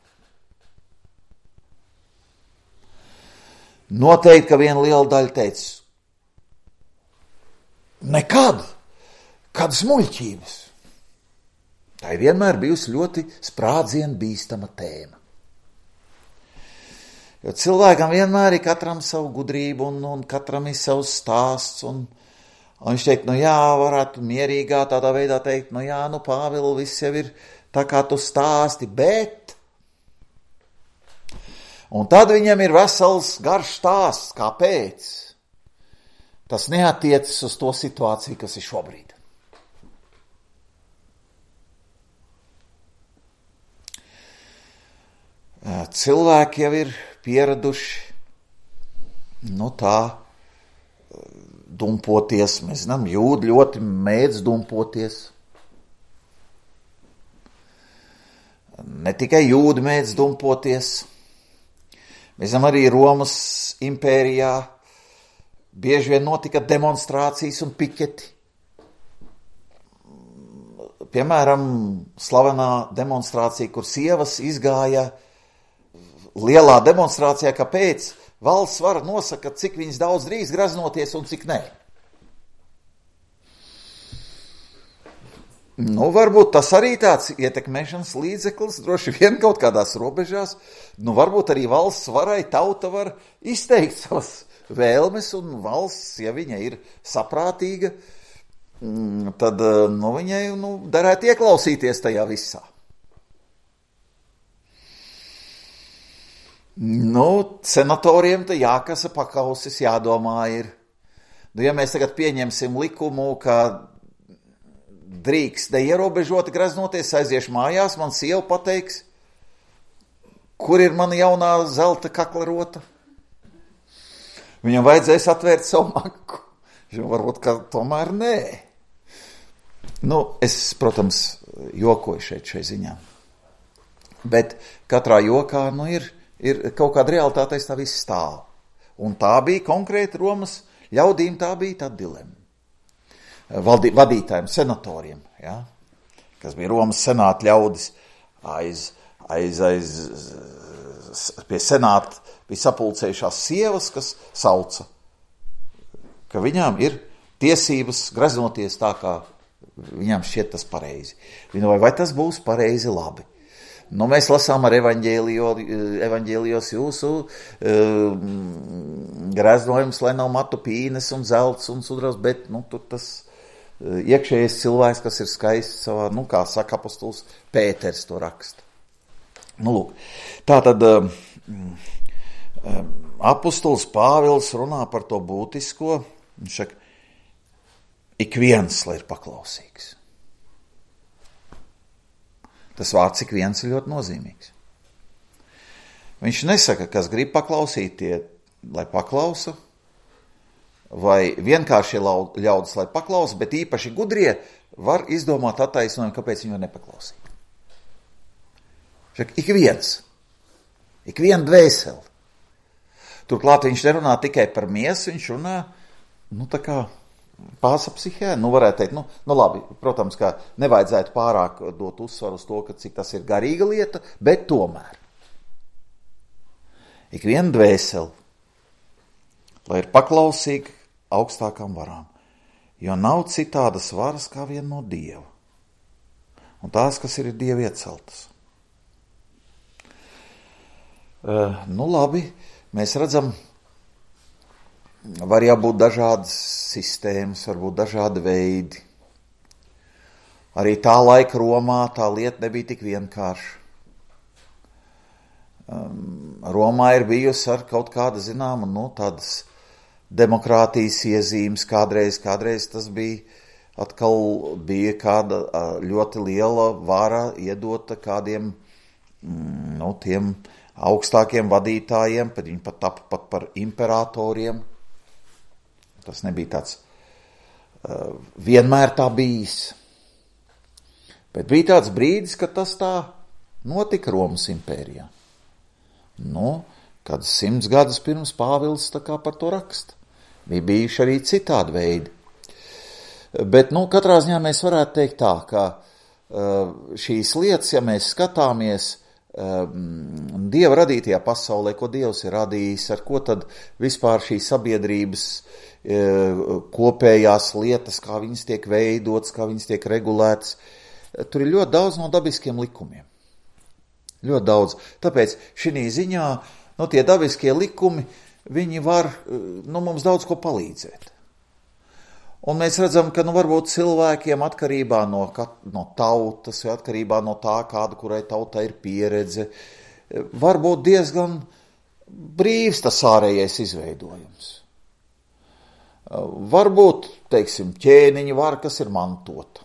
Noteikti, ka viena liela daļa teica, nekad, kādas muļķības. Tā ir vienmēr bijusi ļoti sprādzienu bīstama tēma. Jo cilvēkam vienmēr ir katram savu gudrību un katram ir savs stāsts. Un viņš teikt, varētu mierīgā tādā veidā teikt, Pāvilu, viss jau ir tā kā tu stāsti, bet... Un tad viņam ir vesels garš stāsts, kāpēc. Tas neatiecas uz to situāciju, kas ir šobrīd. Cilvēki jau ir pieraduši, tā dumpoties, mēs zinām, jūdi ļoti mēdz dumpoties. Ne tikai jūdi mēdz dumpoties, mēs zinām, arī Romas impērijā bieži vien notika demonstrācijas un piketi. Piemēram, slavenā demonstrācija, kur sievas izgāja lielā demonstrācijā, kāpēc valsts vara nosaka, cik viņas daudz drīz graznoties un cik nē. Varbūt tas arī tāds ietekmēšanas līdzeklis, droši vien kaut kādās robežās. Varbūt arī valsts varai tauta var izteikt savas vēlmes, un valsts, ja viņa ir saprātīga, tad viņai darētu ieklausīties tajā visā. Senatoriem te jākasa pakausis, jādomā ir. Ja mēs tagad pieņemsim likumu, ka drīkst neierobežoti graznoties, aiziešu mājās, man sieva pateiks, kur ir mana jaunā zelta kaklarota. Viņam vajadzēs atvērt savu maku. Varbūt, ka tomēr nē. Es, protams, jokoju šai ziņā. Bet katrā jokā, ir kaut kāda realitāte, tā viss stāv. Un tā bija konkrēti Romas ļaudīm, tā bija tā dilema. Vadītājiem, senatoriem, kas bija Romas senāta ļaudis, pie senāta bija sapulcējušās sievas, kas sauca, ka viņām ir tiesības graznoties tā, kā viņām šķiet tas pareizi. Vai tas būs pareizi labi? Mēs lasām ar evaņģēlijos jūsu graznojums, lai nav matu pīnes un zelts un sudras, bet tur tas iekšējais cilvēks, kas ir skaists savā, kā saka apostols Pēters to raksta. Tātad apostols Pāvils runā par to būtisko, viņš saka, ik viens, lai ir paklausīgs. Tas vārds ik viens ir ļoti nozīmīgs. Viņš nesaka, kas grib paklausīt, lai paklausa, vai vienkārši ļaudis, lai paklausa, bet īpaši gudrie var izdomāt attaisnojumu, kāpēc viņi var nepaklausīt. Ik viens, ik viena dvēseli. Turklāt viņš nerunā tikai par miesu, viņš runā, tā kā pāsa psihē, varētu teikt, labi, protams, ka nevajadzētu pārāk dot uzsvaru uz to, ka cik tas ir garīga lieta, bet tomēr. Ik viena dvēseli, lai ir paklausīgi augstākām varām, jo nav citādas varas kā vien no Dieva, un tās, kas ir Dieva ieceltas. Labi, mēs redzam, var jābūt dažādas sistēmas, varbūt dažādi veidi. Arī tā laika Romā tā lieta nebija tik vienkārša. Romā ir bijusi ar kaut kāda zināma, tādas demokrātijas iezīmes, kādreiz tas bija atkal bija kāda ļoti liela vara iedota kādiem, tiem augstākiem vadītājiem, pat viņi pat par imperatoriem. Tas nebija tāds vienmēr tā bijis. Bet bija tāds brīdis, kad tas tā notika Romas impērijā. Kad 100 gadus pirms Pāvils tā kā par to raksta. Bija bijuši arī citādi veidi. Bet, katrā ziņā mēs varētu teikt tā, ka šīs lietas, ja mēs skatāmies Dieva radītajā pasaulē, ko Dievs ir radījis, ar ko tad vispār šī sabiedrības kopējās lietas, kā viņas tiek veidotas, kā viņas tiek regulētas, tur ir ļoti daudz no dabiskiem likumiem. Ļoti daudz. Tāpēc šī ziņā, tie dabiskie likumi, viņi var mums daudz ko palīdzēt. Un mēs redzam, ka varbūt cilvēkiem atkarībā no tautas vai atkarībā no tā, kāda kurai tautai ir pieredze, var būt diezgan brīvs tas ārējais izveidojums. Varbūt, teiksim, ķēniņa vara, kas ir mantota.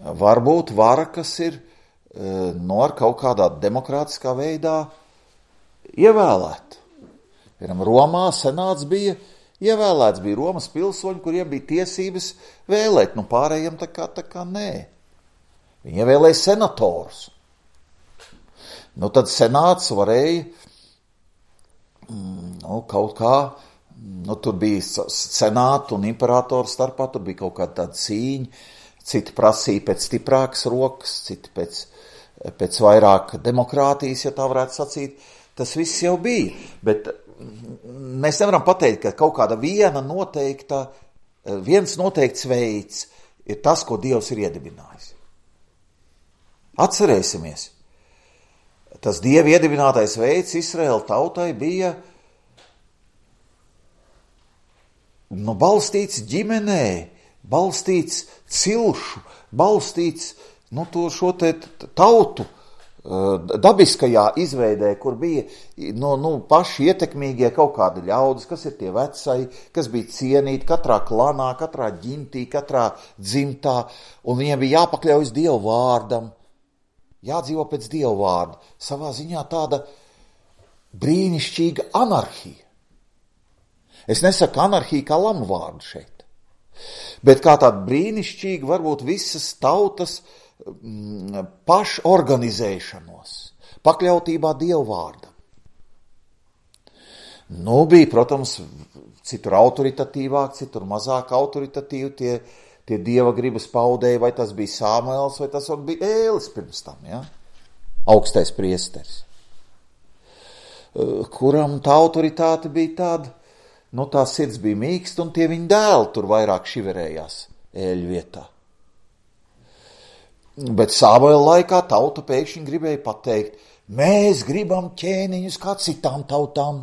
Varbūt vara, kas ir ar kaut kādā demokrātiskā veidā ievēlēta. Piemēram, Romā senāts bija ievēlēts, bija Romas pilsoņi, kuriem bija tiesības vēlēt, pārējiem tā kā nē. Viņi ievēlēja senatorus. Tad senāts varēja kaut kā, tur bija senātu un imperatoru starpā, tur bija kaut kāda tāda cīņa, citi prasīja pēc stiprākas rokas, citi pēc vairāk demokrātijas, ja tā varētu sacīt. Tas viss jau bija, bet mēs nevaram pateikt, ka kaut kāda viens noteikts veids ir tas, ko Dievs ir iedibinājis. Atcerēsimies, tas Dieva iedibinātais veids Izraēla tautai bija balstīts ģimenē, balstīts cilšu, balstīts šo tautu dabiskajā izveidē, kur bija paši ietekmīgie kaut kādi ļaudis, kas ir tie vecai, kas bija cienīti katrā klanā, katrā ģimtī, katrā dzimtā, un viņiem bija jāpakļaujas Dieva vārdam, jādzīvo pēc Dieva vārda. Savā ziņā tāda brīnišķīga anarhija. Es nesaku anarhija kā lamu vārdu šeit, bet kā tāda brīnišķīga varbūt visas tautas pašorganizēšanos, pakļautībā Dieva vārdam. Bija, protams, citur autoritatīvāk, citur mazāk autoritatīvi tie Dieva gribas paudēji, vai tas bija Samuels, vai tas bija Ēlis pirms tam, ja? Augstais priesteris, kuram tā autoritāte bija tāda, tā sirds bija mīksta, un tie viņa dēli tur vairāk šiverējās Ēļu vietā. Bet Samuela laikā tauta pēkšņi gribēja pateikt, mēs gribam ķēniņus kā citām tautām.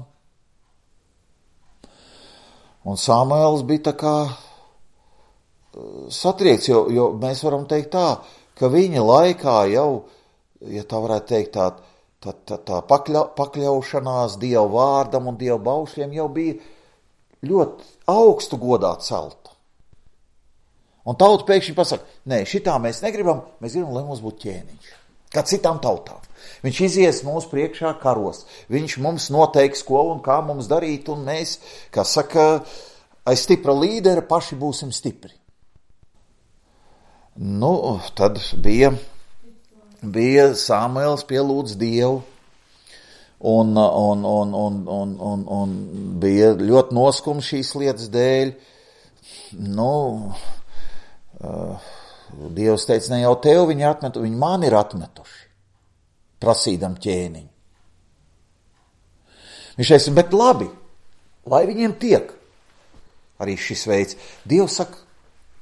Un Samuels bija tā kā satriekts, jo mēs varam teikt tā, ka viņa laikā jau, ja tā varētu teikt, tā pakļaušanās Dieva vārdam un Dieva baušļiem jau bija ļoti augstu godā celta. Un tauta pēkšņi pasaka, nē, šitā mēs negribam, mēs gribam, lai mums būtu ķēniņš, kā citām tautām. Viņš izies mūsu priekšā karos, viņš mums noteiks, ko un kā mums darīt, un mēs, kā saka, aiz stipra līdera paši būsim stipri. Tad bija Samuels pielūdz Dievu, un bija ļoti noskums šīs lietas dēļ. Dievs teica, ne jau tev viņi atmetu, viņi mani ir atmetuši, prasīdam ķēniņu. Viņš teica, bet labi, lai viņiem tiek arī šis veids. Dievs saka,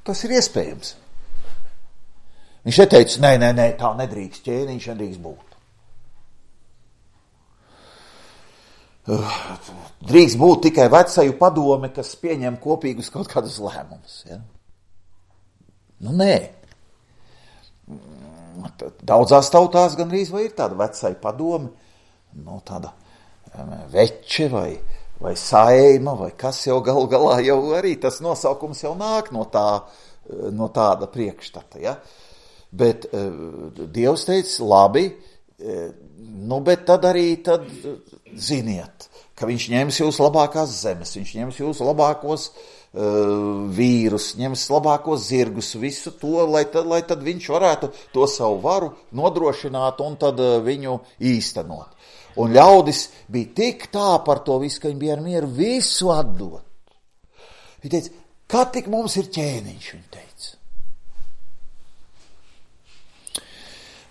tas ir iespējams. Viņš neteica, nē, tā nedrīkst, ķēniņš nedrīkst būt. Drīkst būt tikai vecaju padome, kas pieņem kopīgus kaut kādus lēmumus, ja? Nē. Daudzās tautās gandrīz vai ir tāda vecai padome, tāda veče vai vai saima, vai kas jau galu galā jau arī tas nosaukums jau nāk no tāda priekšstata, ja? Bet Dievs teica, labi, bet tad ziniet, ka viņš ņems jūs labākās zemes, viņš ņems jūs labākos vīrus, ņems labākos zirgus, visu to, lai tad viņš varētu to savu varu nodrošināt un tad viņu īstenot. Un ļaudis bija tik tā par to visu, ka viņi bija ar mieru visu atdot. Viņi teica, kā tik mums ir ķēniņš, viņi teica.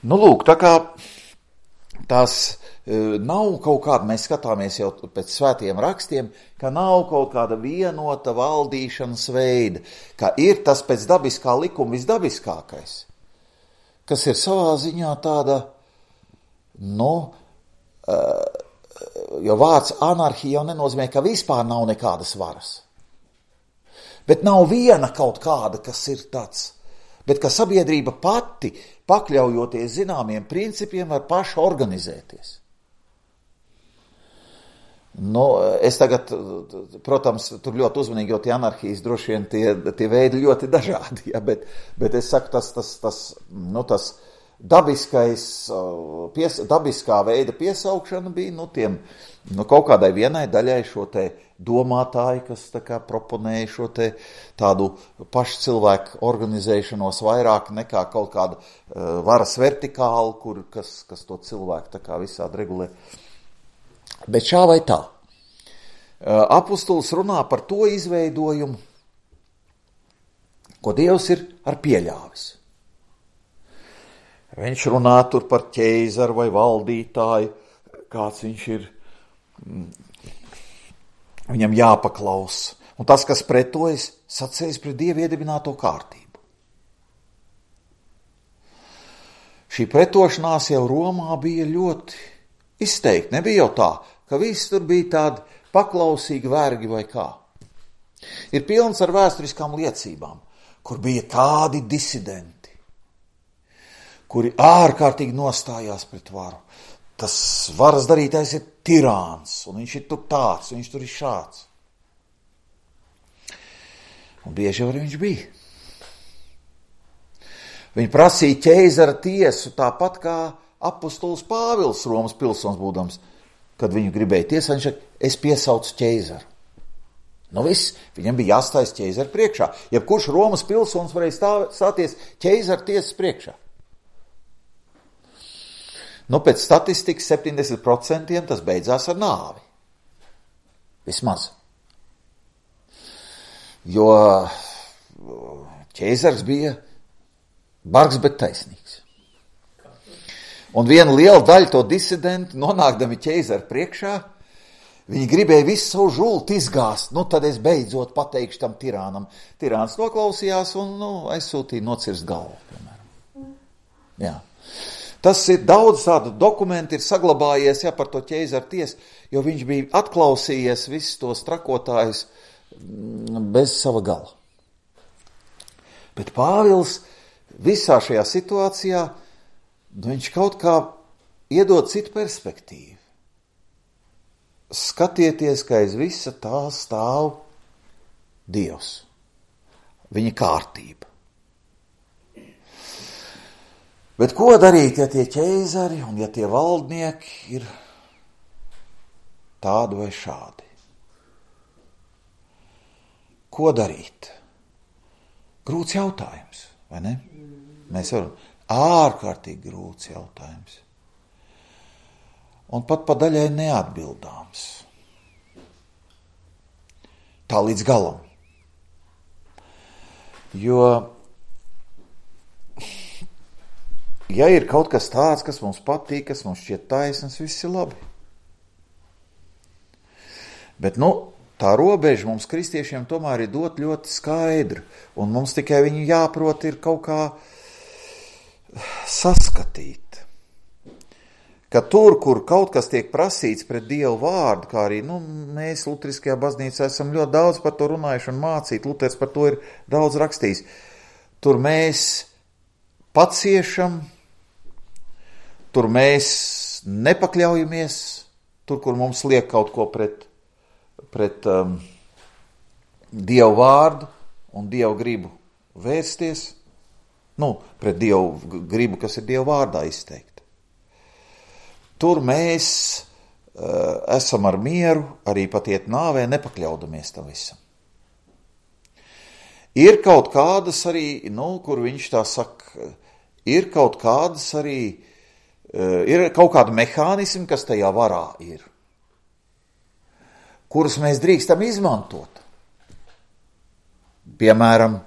Lūk, tā kā tās nav kaut kāda, mēs skatāmies jau pēc svētiem rakstiem, ka nav kaut kāda vienota valdīšanas veida, ka ir tas pēc dabiskā likuma visdabiskākais, kas ir savā ziņā tāda, jo vārds anarhija jau nenozīmē, ka vispār nav nekādas varas. Bet nav viena kaut kāda, kas ir tāds, bet ka sabiedrība pati, pakļaujoties zināmiem principiem, var paši organizēties. Es tagad, protams, tur ļoti uzmanīgi, jo tie anarhijas droši vien tie veidi ļoti dažādi, ja, bet es saku, tas dabiskā veida piesaukšana bija, kaut kādai vienai daļai šo te domātāji, kas tā kā proponēja šo te tādu pašu cilvēku organizēšanos vairāk nekā kaut kāda varas vertikāla, kas to cilvēku tā kā visādi regulē. Bet šā vai tā, apustulis runā par to izveidojumu, ko Dievs ir ar pieļāvis. Viņš runā tur par ķeizaru vai valdītāju, kāds viņš ir, viņam jāpaklaus. Un tas, kas pretojas, sacēs pret Dievu iedibināto kārtību. Šī pretošanās jau Romā bija ļoti izteikti. Nebija jau tā, ka visi tur bija tādi paklausīgi vergi vai kā. Ir pilns ar vēsturiskām liecībām, kur bija tādi disidenti, kuri ārkārtīgi nostājās pret varu. Tas varas darītājs ir tirāns, un viņš ir tur tāds, un viņš tur ir šāds. Un bieži arī viņš bija. Viņi prasīja ķeizara tiesu tāpat kā apustulis Pāvils, Romas pilsonis būdams, kad viņu gribēja tiesāt, viņš saka, es piesaucu ķeizaru. Viss, viņam bija jāstājas ķeizara priekšā. Jebkurš Romas pilsonis varēja stāties ķeizara tiesas priekšā. Pēc statistikas 70% tas beidzās ar nāvi. Vismaz. Jo ķeizars bija bargs, bet taisnīgs. Un viena liela daļa to disidentu, nonākdami ķeizaru priekšā, viņi gribēja visu savu žulti izgāzt. Tad es beidzot pateikšu tam tirānam. Tirāns noklausījās un aizsūtīja nocirst galvu, piemēram. Jā. Tas ir daudz tādu dokumentu ir saglabājies par to ķeizaru tiesu, jo viņš bija atklausījies visus tos trakotājus bez sava gala. Bet Pāvils visā šajā situācijā, viņš kaut kā iedod citu perspektīvu. Skatieties, ka aiz visa tā stāv Dievs, viņa kārtība. Bet ko darīt, ja tie ķeizari un ja tie valdnieki ir tādi vai šādi? Ko darīt? Grūts jautājums, vai ne? Mēs varam ārkārtīgi grūts jautājums. Un pat pa daļai neatbildāms. Tā līdz galam. Jo ja ir kaut kas tāds, kas mums patīk, kas mums šķiet taisnīgs, viss ir labi. Bet, tā robeža mums kristiešiem tomēr ir dot ļoti skaidra, un mums tikai viņu jāprot ir kaut kā saskatīt. Ka tur, kur kaut kas tiek prasīts pret Dievu vārdu, kā arī, mēs Luteriskajā baznīcā esam ļoti daudz par to runājuši un mācīt, Luters par to ir daudz rakstījis. Tur mēs paciešam, tur mēs nepakļaujamies, tur, kur mums liek kaut ko pret. Dievu vārdu un Dievu gribu vērsties, pret Dievu gribu, kas ir Dievu vārdā izteikta. Tur mēs esam ar mieru, arī pat iet nāvē, nepakļaudamies tam visam. Ir kaut kādas arī, kur viņš tā saka, ir kaut kādas arī, ir kaut kādi mehānismi, kas tajā varā ir, kurus mēs drīkstam izmantot. Piemēram,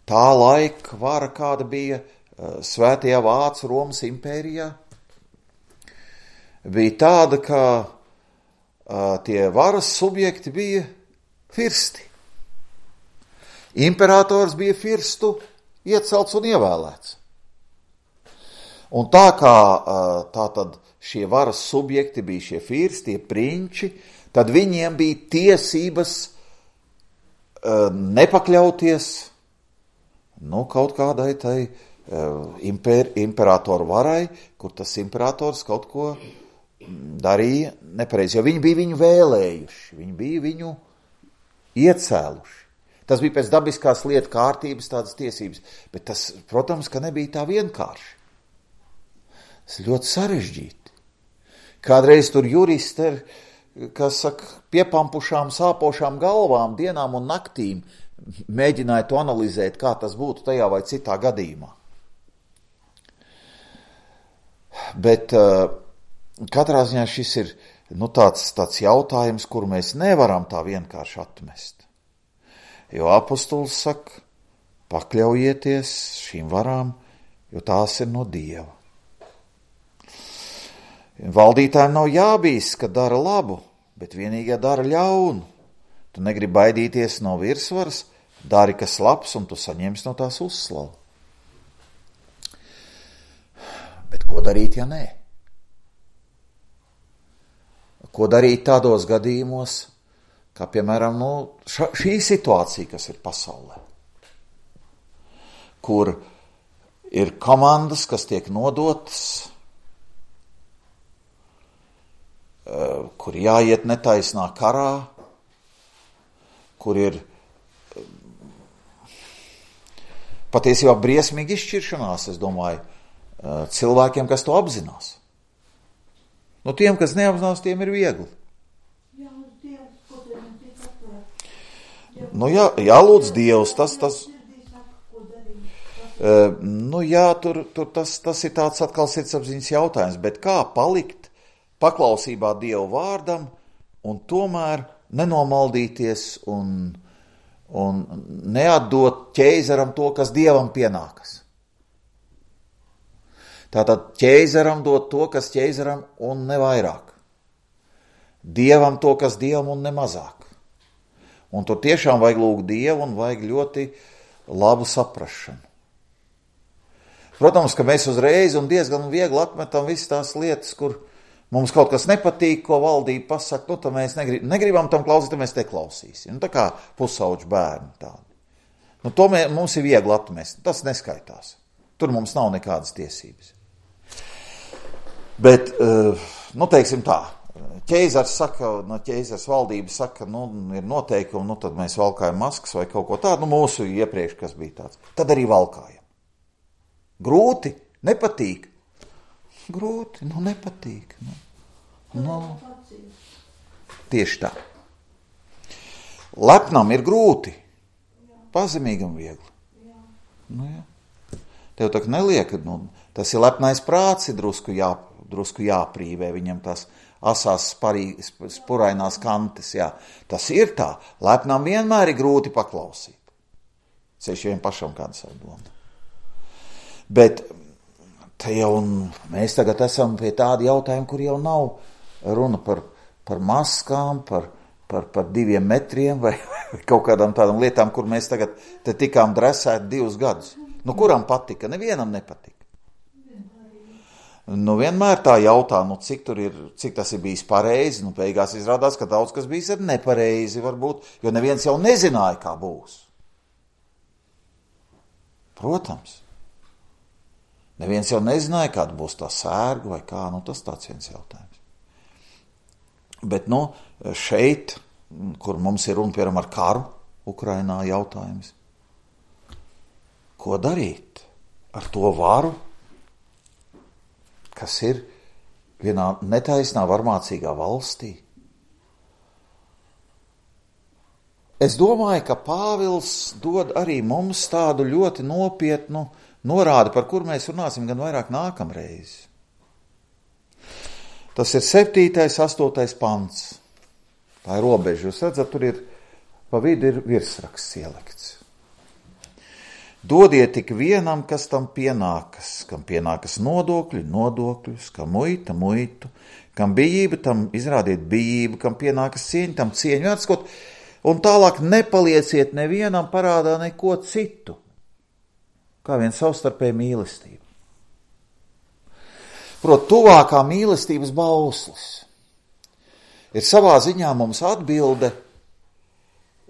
tā laika vara, kāda bija Svētajā Vācu Romas impērijā, bija tāda, ka tie varas subjekti bija firsti. Imperators bija firstu iecelts un ievēlēts. Un tā kā tātad šie varas subjekti bija šie firsti, tie prinči, tad viņiem bija tiesības nepakļauties kaut kādai tai imperatoru varai, kur tas imperators kaut ko darīja nepareizi, jo viņi bija viņu vēlējuši, viņi bija viņu iecēluši. Tas bija pēc dabiskās lietu kārtības tādas tiesības, bet tas, protams, ka nebija tā vienkārši. Tas ļoti sarežģīti. Kādreiz tur juristi ir, kas saka, piepampušām, sāpošām galvām, dienām un naktīm mēģināja to analizēt, kā tas būtu tajā vai citā gadījumā. Bet katrā ziņā šis ir tāds jautājums, kuru mēs nevaram tā vienkārši atmest. Jo apostols saka, pakļaujieties šīm varām, jo tās ir no Dieva. Valdītājiem nav jābīst, ka dara labu, bet vienīgi dara ļaunu. Tu negribi baidīties no virsvaras, dari kas labs, un tu saņemsi no tās uzslavu. Bet ko darīt, ja nē? Ko darīt tādos gadījumos, kā piemēram šī situācija, kas ir pasaulē, kur ir komandas, kas tiek nodotas, kur jāiet netaisnā karā, kur ir patiesībā briesmīgi izšķiršanās, es domāju, cilvēkiem, kas to apzinās. Tiem, kas neapzinās, tiem ir viegli. Jālūdz Dievs, tas tas ir tāds atkal sirdsapziņas jautājums, bet kā palikt paklausībā Dievu vārdam un tomēr nenomaldīties un neatdot ķeizaram to, kas Dievam pienākas. Tātad ķeizaram dot to, kas ķeizaram un ne vairāk. Dievam to, kas Dievam un ne mazāk. Un tur tiešām vajag lūgt Dievu un vajag ļoti labu saprašanu. Protams, ka mēs uzreiz un diezgan viegli atmetam visas tās lietas, kur mums kaut kas nepatīk, ko valdība pasaka, tad mēs negribam tam klausīt, tad mēs te klausīsim. Tā kā pusauģu bērni tādi. To mums ir viegli atmest, tas neskaitās. Tur mums nav nekādas tiesības. Bet, teiksim tā, ķeizars saka, ķeizars valdība saka, ir noteikumi, tad mēs valkājam maskas vai kaut ko tādu, mūsu iepriekš, kas bija tāds. Tad arī valkājam. Grūti, nepatīk. Grūti, nepatīk. Tieši tā. Lepnam ir grūti, pazemīgam viegli. Tev tā neliek, tas ir lepnais prāts, ir drusku jāprīvē viņam tās asās spurainās kantes, jā. Tas ir tā, lepnam vienmēr ir grūti paklausīt. Ceļš vien pašam kādu savu domu. Bet te jau mēs tagad esam pie tāda jautājuma, kur jau nav runa par maskām, par 2 metriem vai kaut kādām tādām lietām, kur mēs tagad te tikām dresēti 2 gadus. Kuram patika? Nevienam nepatika. Vienmēr tā jautā, cik tas ir bijis pareizi, beigās izrādās, ka daudz kas bijis ir nepareizi varbūt, jo neviens jau nezināja, kā būs. Protams. Neviens jau nezināja, kāda būs tā sērga vai kā, tas tāds viens jautājums. Bet, šeit, kur mums ir runa, piemēram, ar karu Ukrainā jautājums, ko darīt ar to varu, kas ir vienā netaisnā, varmācīgā valstī? Es domāju, ka Pāvils dod arī mums tādu ļoti nopietnu norādi, par kur mēs runāsim gan vairāk nākamreiz. Tas ir 7., 8. pants. Tā ir robeža. Jūs redzat, tur ir pa vidu ir virsraksts ielikts. Dodiet tik vienam, kas tam pienākas, kam pienākas nodokļi, nodokļus, kam muita, muitu, kam bijība, tam izrādiet bijību, kam pienākas cieņa, tam cieņu atskot, un tālāk nepalieciet nevienam parādā neko citu, kā vien savstarpēju mīlestību. Prot, tuvākā mīlestības bauslis ir savā ziņā mums atbilde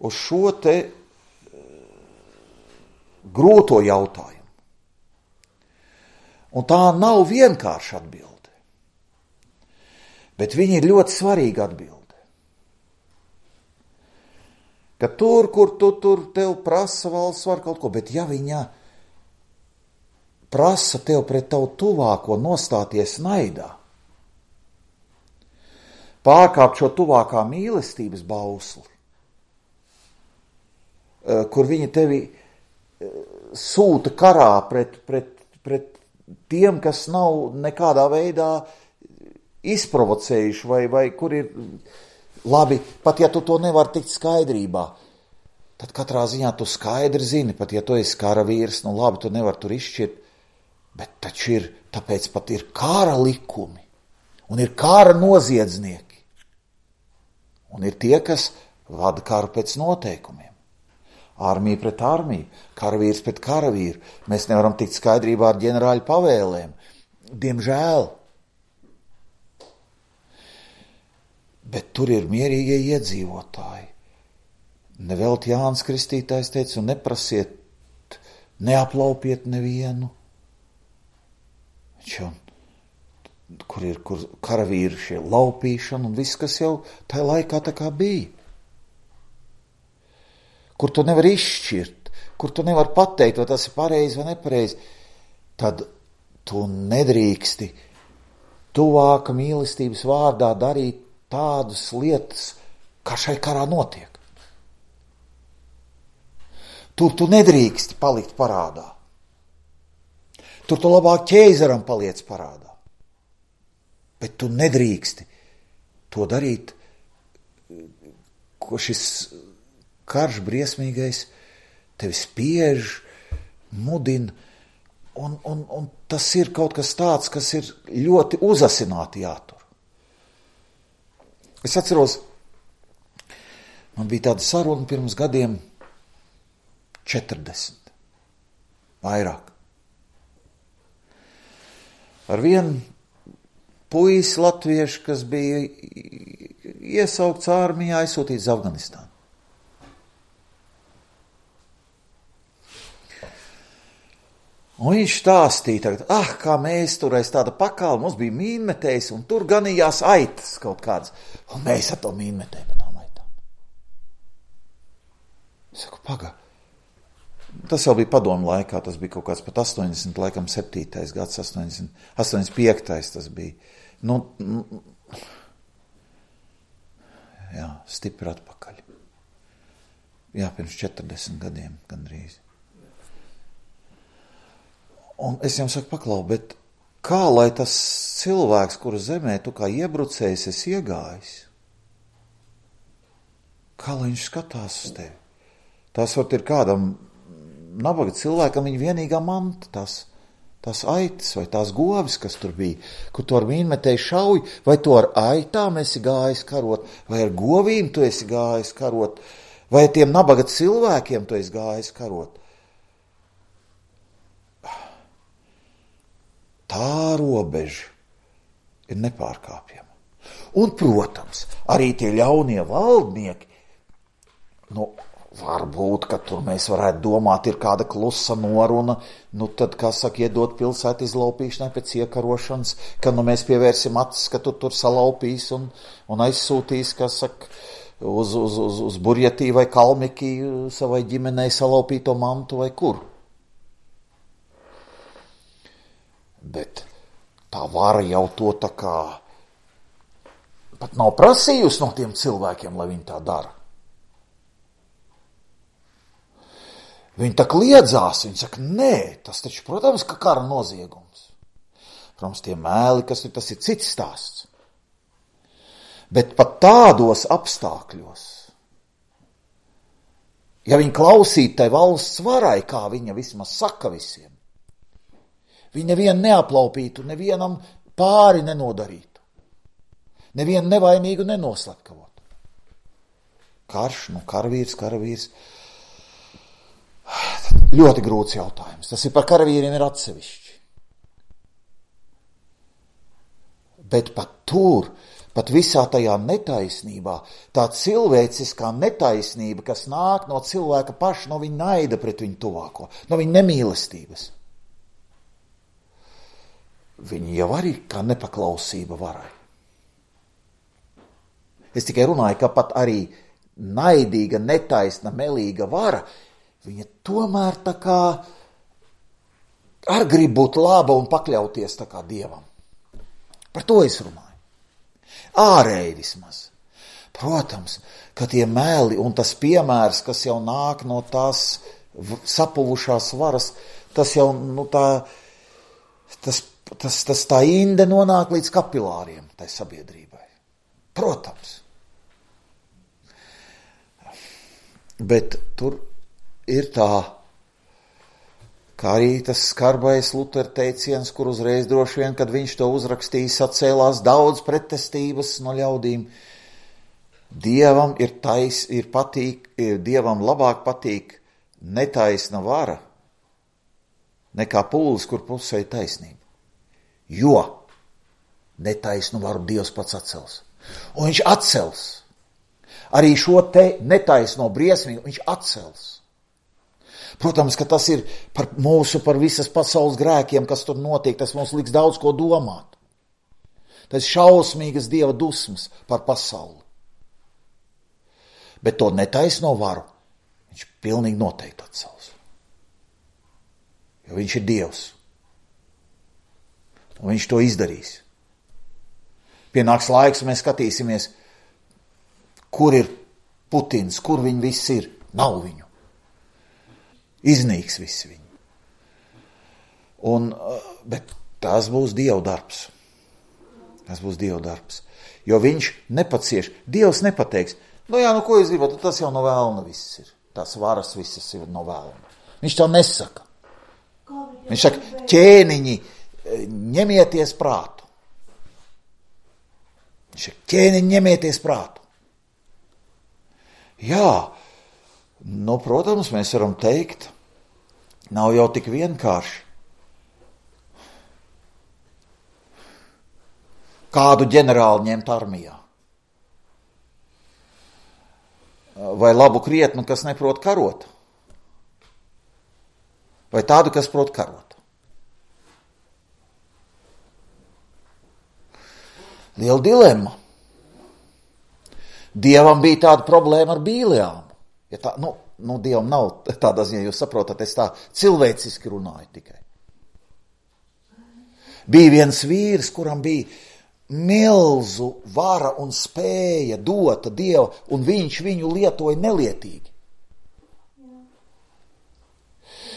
uz šo te grūto jautājumu. Un tā nav vienkārša atbilde, bet viņa ir ļoti svarīga atbilde. Ka tur, kur tur tev prasa valsts var kaut ko, bet ja viņa prasa tev pret tavu tuvāko nostāties naidā, pārkāpt šo tuvākā mīlestības bausli, kur viņi tevi sūta karā pret tiem, kas nav nekādā veidā izprovocējuši, vai kur ir labi, pat ja tu to nevar tikt skaidrībā, tad katrā ziņā tu skaidri zini, pat ja tu esi karavīrs, labi, tu nevar tur izšķirt, bet taču ir, tāpēc pat ir kara likumi, un ir kara noziedznieki, un ir tie, kas vada karu pēc noteikumiem. Armija pret armiju, karavīrs pret karavīru. Mēs nevaram tikt skaidrībā ar ģenerāļu pavēlēm. Diemžēl. Bet tur ir mierīgie iedzīvotāji. Nevelti Jānis Kristītājs teica, un neprasiet, neaplaupiet nevienu. Kur karavīri šie laupīšana un viss, kas jau tajā laikā tā kā bija. Kur tu nevar izšķirt, kur tu nevar pateikt, vai tas ir pareizi vai nepareizi, tad tu nedrīksti tuvāka mīlestības vārdā darīt tādas lietas, kā šai karā notiek. Tur tu nedrīksti palikt parādā. Tur tu labāk ķeizaram paliec parādā. Bet tu nedrīksti to darīt, ko šis karš briesmīgais tevi spiež, mudina, un tas ir kaut kas tāds, kas ir ļoti uzasināti jātur. Es atceros, man bija tāda saruna pirms gadiem 40, vairāk. Ar vienu puisi latviešu, kas bija iesaukts armijā, aizsūtīts Afganistānu. Un viņš stāstīja tagad, kā mēs tur aiz tāda pakāla, mums bija mīnmetējs, un tur ganījās aitas kaut kādas, un mēs ar to mīnmetēju pēc tām aitām. Es saku, pagā. Tas jau bija padomu laikā, tas bija kaut kāds pat 80, laikam 7. gads, 85. tas bija. Jā, stipri atpakaļ. Jā, pirms 40 gadiem gandrīz. Un es jums saku, paklau, bet kā lai tas cilvēks, kura zemē tu kā iebrucējs esi iegājis, kā lai viņš skatās uz tevi? Tas var ir kādam nabaga cilvēkam viņa vienīgā manta, tās aitas vai tās govis, kas tur bija, kur tu ar mīnmetēju šauj, vai tu ar aitām esi gājis karot, vai ar govīm tu esi gājis karot, vai tiem nabaga cilvēkiem tu esi gājis karot. Tā robeža ir nepārkāpjama. Un, protams, arī tie ļaunie valdnieki, Varbūt, ka tur mēs varētu domāt, ir kāda klusa noruna, nu tad, kā saka, iedot pilsētu izlaupīšanai pēc iekarošanas, ka nu mēs pievērsim acis, ka tu tur salaupīs un aizsūtīs, kā saka, uz Burjatī vai Kalmikī savai ģimenei salaupīto mantu vai kur. Bet tā vara jau to tā kā pat nav prasījusi no tiem cilvēkiem, lai viņi tā dara. Viņi tā kliedzās, viņi saka, nē, tas taču, protams, ka kara noziegums. Protams, tie mēli, kas ir, tas ir cits stāsts. Bet pat tādos apstākļos, ja viņi klausītu tai valsts varai, kā viņa vismaz saka visiem, viņi nevienu neaplaupītu, nevienam pāri nenodarītu, nevienu nevainīgu nenoslepkavotu. Karš, karavīrs. Ļoti grūts jautājums. Tas ir par karavīriem ir atsevišķi. Bet pat tur, pat visā tajā netaisnībā, tā cilvēciskā netaisnība, kas nāk no cilvēka paša, no viņa naida pret viņu tuvāko, no viņa nemīlestības. Viņi jau arī kā nepaklausība varai. Es tikai runāju, ka pat arī naidīga, netaisna, melīga vara, viņa tomēr tā kā ar grib būt laba un pakļauties tā kā Dievam. Par to es runāju. Ārēji vismaz. Protams, ka tie meli un tas piemērs, kas jau nāk no tās sapuvušās varas, tas jau, tas tā inde nonāk līdz kapilāriem tai sabiedrībai. Protams. Bet tur ir tā, kā arī tas skarbais Lutera teiciens, kur uzreiz droši vien, kad viņš to uzrakstīs, atcēlās daudz pretestības no ļaudīm. Dievam Dievam labāk patīk netaisna vara nekā pūlis, kur pusē taisnība. Jo netaisnu varu Dievs pats atcels. Un viņš atcels. Arī šo te netaisno briesmīgu viņš atcels. Protams, ka tas ir par visas pasaules grēkiem, kas tur notiek, tas mums liks daudz ko domāt. Tas šausmīgas Dieva dusmas par pasauli. Bet to netaisno varu viņš pilnīgi noteikti atcels. Jo viņš ir Dievs. Un viņš to izdarīs. Pienāks laiks, mēs skatīsimies, kur ir Putins, kur viņi visi ir. Nav viņu. Iznīks visi viņi. Bet tas būs Dieva darbs. Tas būs Dieva darbs. Jo viņš nepacieš. Dievs nepateiks, ko jūs gribat, tas jau no vēlna viss ir. Tās varas visas ir no vēlna. Viņš tā nesaka. Viņš saka, ķēniņi, ņemieties prātu. Viņš saka, ķēniņi, ņemieties prātu. Jā, protams, mēs varam teikt, nav jau tik vienkārši. Kādu ģenerāli ņemt armijā? Vai labu krietnu, kas neprot karot? Vai tādu, kas prot karot? Liela dilemma. Dievam bija tāda problēma ar Bīleāmu. Ja tā, Dievam nav tādā ziņā, jūs saprotat, es tā cilvēciski runāju tikai. Bija viens vīrs, kuram bija milzu vara un spēja dota Dieva, un viņš viņu lietoja nelietīgi.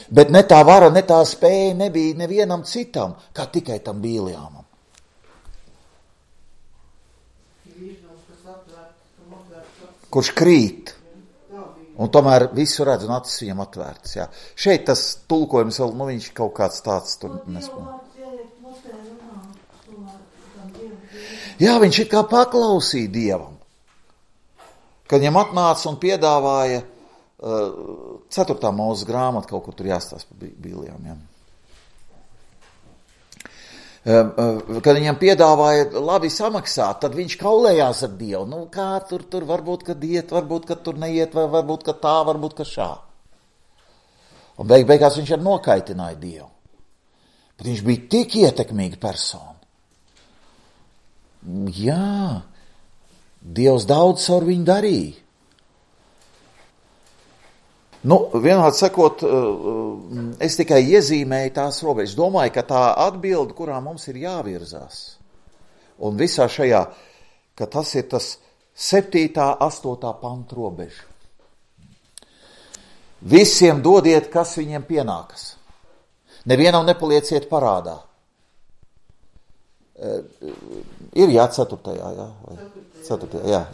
Bet ne tā vara, ne tā spēja nebija nevienam citam, kā tikai tam Bīleāmam. Kurš krīt, un tomēr visu redz un acis viņam atvērtas. Jā. Šeit tas tulkojums vēl, viņš kaut kāds tāds tur nespēj. Jā, viņš ir kā paklausīja Dievam. Kad viņam atnāca un piedāvāja 4. Mūzes grāmatu, kaut kur tur jāstāsta par Bīlijām. Jā. Kad viņam piedāvāja labi samaksāt, tad viņš kaulējās ar Dievu. Nu, kā tur varbūt, kad iet, varbūt, kad tur neiet, vai varbūt, kad tā, varbūt, kad šā. Un beigās viņš arī nokaitināja Dievu. Bet viņš bija tik ietekmīga persona. Jā, Dievs daudz caur viņu darīja. Nu, vienādi sakot, es tikai iezīmēju tās robežas. Domāju, ka tā atbilde, kurā mums ir jāvirzās, un visā šajā, ka tas ir tas 7. 8. pantu robeža. Visiem dodiet, kas viņiem pienākas. Nevienam nepalieciet parādā. Ir 4. jā. 4. jā.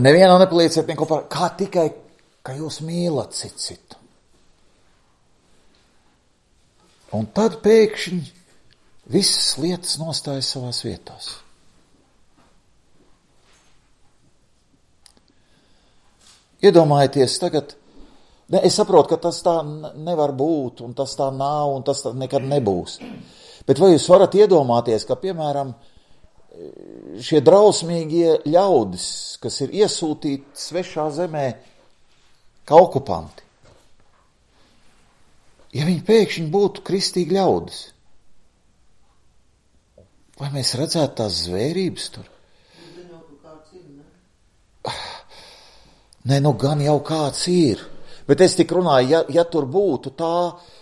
Nevienam nepalieciet neko par, kā tikai, ka jūs mīlat citu. Un tad pēkšņi visas lietas nostājas savās vietās. Iedomājieties tagad, es saprotu, ka tas tā nevar būt, un tas tā nav, un tas tā nekad nebūs. Bet vai jūs varat iedomāties, ka, piemēram, šie drausmīgie ļaudis, kas ir iesūtīti svešā zemē kā okupanti, ja viņi pēkšņi būtu kristīgi ļaudis, vai mēs redzētu tās zvērības tur? Nē, nu gan jau kāds ir, bet es tik runāju, ja tur būtu tā,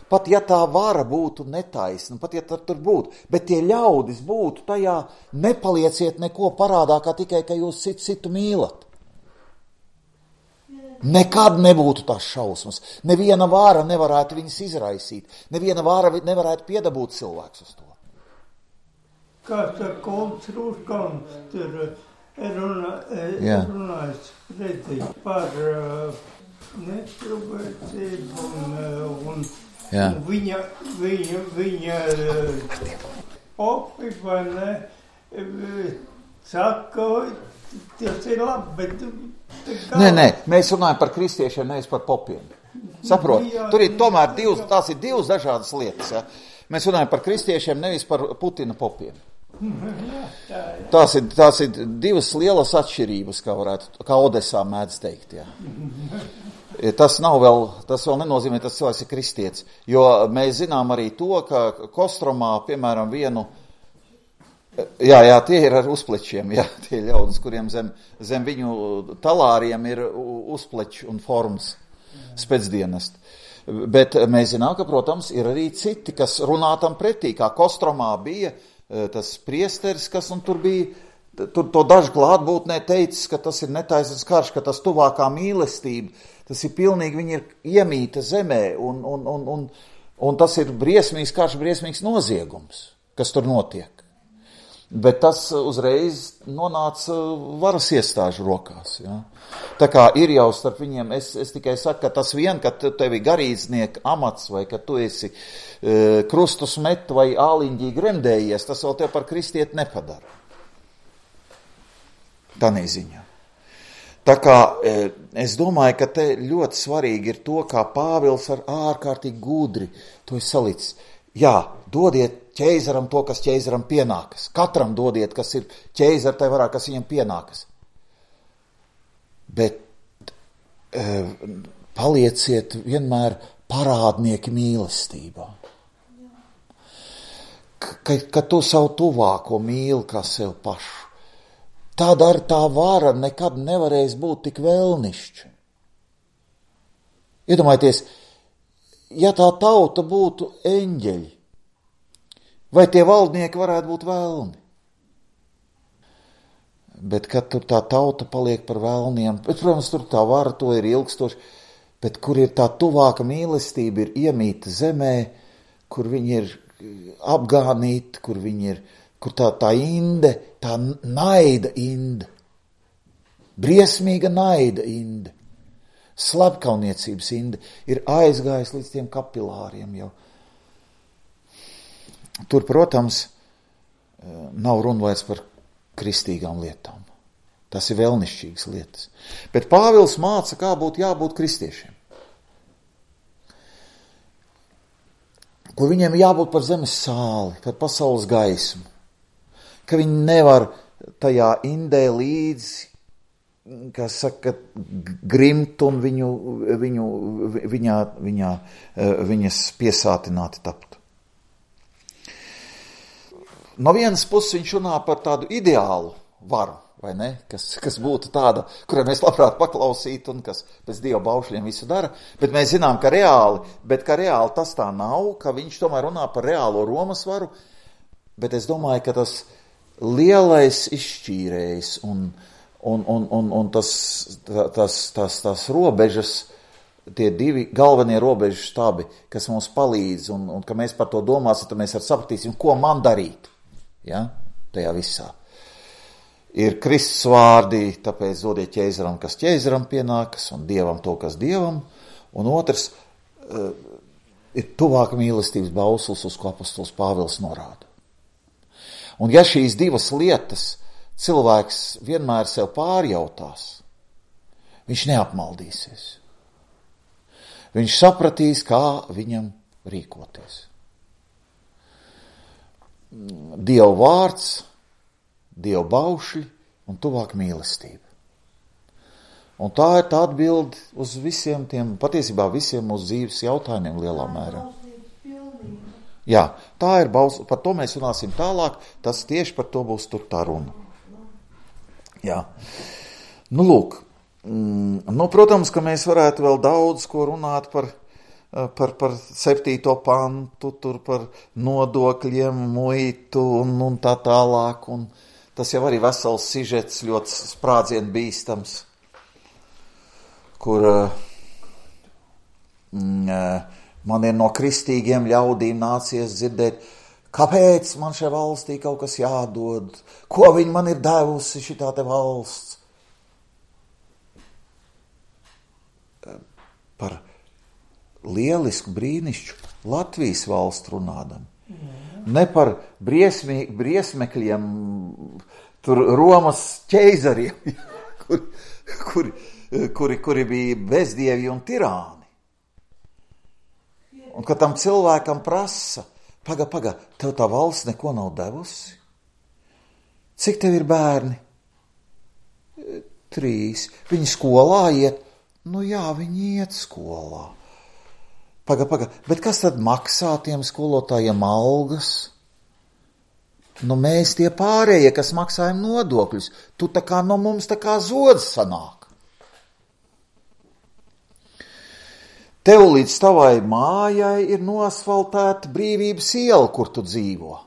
pat ja tā vara būtu netaisna, pat ja tur būtu, bet tie ļaudis būtu tajā, nepalieciet neko parādā, kā tikai, ka jūs citu mīlat. Nekad nebūtu tās šausmas. Neviena vara nevarētu viņus izraisīt. Neviena vara nevarētu piedabūt cilvēks uz to. Kāds ar Kolts-Rūškam tur runājis pretī par netrubēcību un viņa opi, vai ne, saka, tas ir labi, bet... Nē, mēs runājam par kristiešiem, nevis par popiem. Saprot, tur ir tomēr tās ir divas dažādas lietas. Ja? Mēs runājam par kristiešiem, nevis par Putina popiem. Tās ir divas lielas atšķirības, kā Odesā mēdz teikt. Ja? Tas vēl nenozīmē, tas cilvēks ir kristietis, jo mēs zinām arī to, ka Kostromā, piemēram, vienu, jā, tie ir ar uzplečiem, jā, tie ļaudis, kuriem zem viņu talāriem ir uzpleči un formas spēcdienest. Bet mēs zinām, ka, protams, ir arī citi, kas runā tam pretī, kā Kostromā bija tas priesteris, kas un tur bija, tur to daži klātbūtnē teicis, ka tas ir netaisnīgs karš, ka tas tuvākā mīlestība, tas ir pilnīgi, viņi ir iemīta zemē, un tas ir briesmīgs karš, briesmīgs noziegums, kas tur notiek. Bet tas uzreiz nonāca varas iestāžu rokās. Ja? Tā kā ir jau starp viņiem, es tikai saku, ka tas vien, ka tev ir garīdznieka amats, vai ka tu esi krustus met vai āliņģī gremdējies, tas vēl tev par kristieti nepadara. Tanī ziņā. Tā kā es domāju, ka te ļoti svarīgi ir to, kā Pāvils ar ārkārtīgi gudri to ir salicis. Jā, dodiet ķeizaram to, kas ķeizaram pienākas. Katram dodiet, kas ir ķeizar, tai varā, kas viņam pienākas. Bet palieciet vienmēr parādnieki mīlestībā. Ka tu savu tuvāko mīli kā sev pašu. Tad ar tā vara nekad nevarēs būt tik vēlnišķa. Iedomājieties, ja tā tauta būtu eņģeļi, vai tie valdnieki varētu būt vēlni? Bet kad tur tā tauta paliek par vēlniem, bet, protams, tur tā vara, to ir ilgstoši, bet kur ir tā tuvāka mīlestība, ir iemīta zemē, kur viņi ir apgānīti, kur viņi ir, kur tā inde, tā naida inde, briesmīga naida inde, slepkauniecības inde, ir aizgājis līdz tiem kapilāriem jau. Tur, protams, nav runa vairs par kristīgām lietām. Tas ir vēlnišķīgas lietas. Bet Pāvils māca, kā būtu jābūt kristiešiem. kur viņiem jābūt par zemes sāli, par pasaules gaismu, ka viņi nevar tajā indē līdzi, kas saka, grimt un viņas piesātināti tapt. No vienas puses viņš runā par tādu ideālu varu, vai ne, kas būtu tāda, kurai mēs labprāt paklausītu un kas pēc Dieva baušļiem visu dara, bet mēs zinām, ka reāli tas tā nav, ka viņš tomēr runā par reālo Romas varu, bet es domāju, ka tas lielais izšķīrējs un tas robežas, tie divi galvenie robežu štabi, kas mums palīdz un ka mēs par to domāsim, tad mēs sapratīsim, ko man darīt, ja, tajā visā. Ir Kristus vārdi, tāpēc dodiet ķēzaram, kas ķēzaram pienākas, un Dievam to, kas Dievam, un otrs ir tuvāka mīlestības bauslis, uz ko apostols Pāvils norāda. Un ja šīs divas lietas cilvēks vienmēr sev pārjautās, viņš neapmaldīsies. Viņš sapratīs, kā viņam rīkoties. Dieva vārds, Dieva baušļi un tuvāk mīlestība. Un tā ir tā atbilde uz visiem tiem, patiesībā visiem mūsu dzīves jautājumiem lielā mērā. Jā, tā ir bausļi, par to mēs runāsim tālāk, tas tieši par to būs tur tā runa. Jā. Nu, lūk, protams, ka mēs varētu vēl daudz ko runāt par 7. pantu, tur par nodokļiem, muitu un tā tālāk, un tas jau arī vesels sižets ļoti sprādzien bīstams, kur man ir no kristīgiem ļaudīm nācies dzirdēt, kāpēc man šai valstī kaut kas jādod, ko viņi man ir devusi šitā te valsts. Par lielisku brīnišķu Latvijas valstu runādam. Ne par briesmekļiem, tur Romas ķeizariem, kuri bija bezdievi un tirāni. Un ka tam cilvēkam prasa, paga, tev tā valsts neko nav devusi? Cik tev ir bērni? 3. Viņi skolā iet? Nu jā, viņi iet skolā. Paga, bet kas tad maksā tiem skolotājiem algas? Nu mēs tie pārējie, kas maksājam nodokļus, tu tā kā no mums tā kā zods sanāk. Tev līdz tavai mājai ir noasfaltēta Brīvības iela, kur tu dzīvo.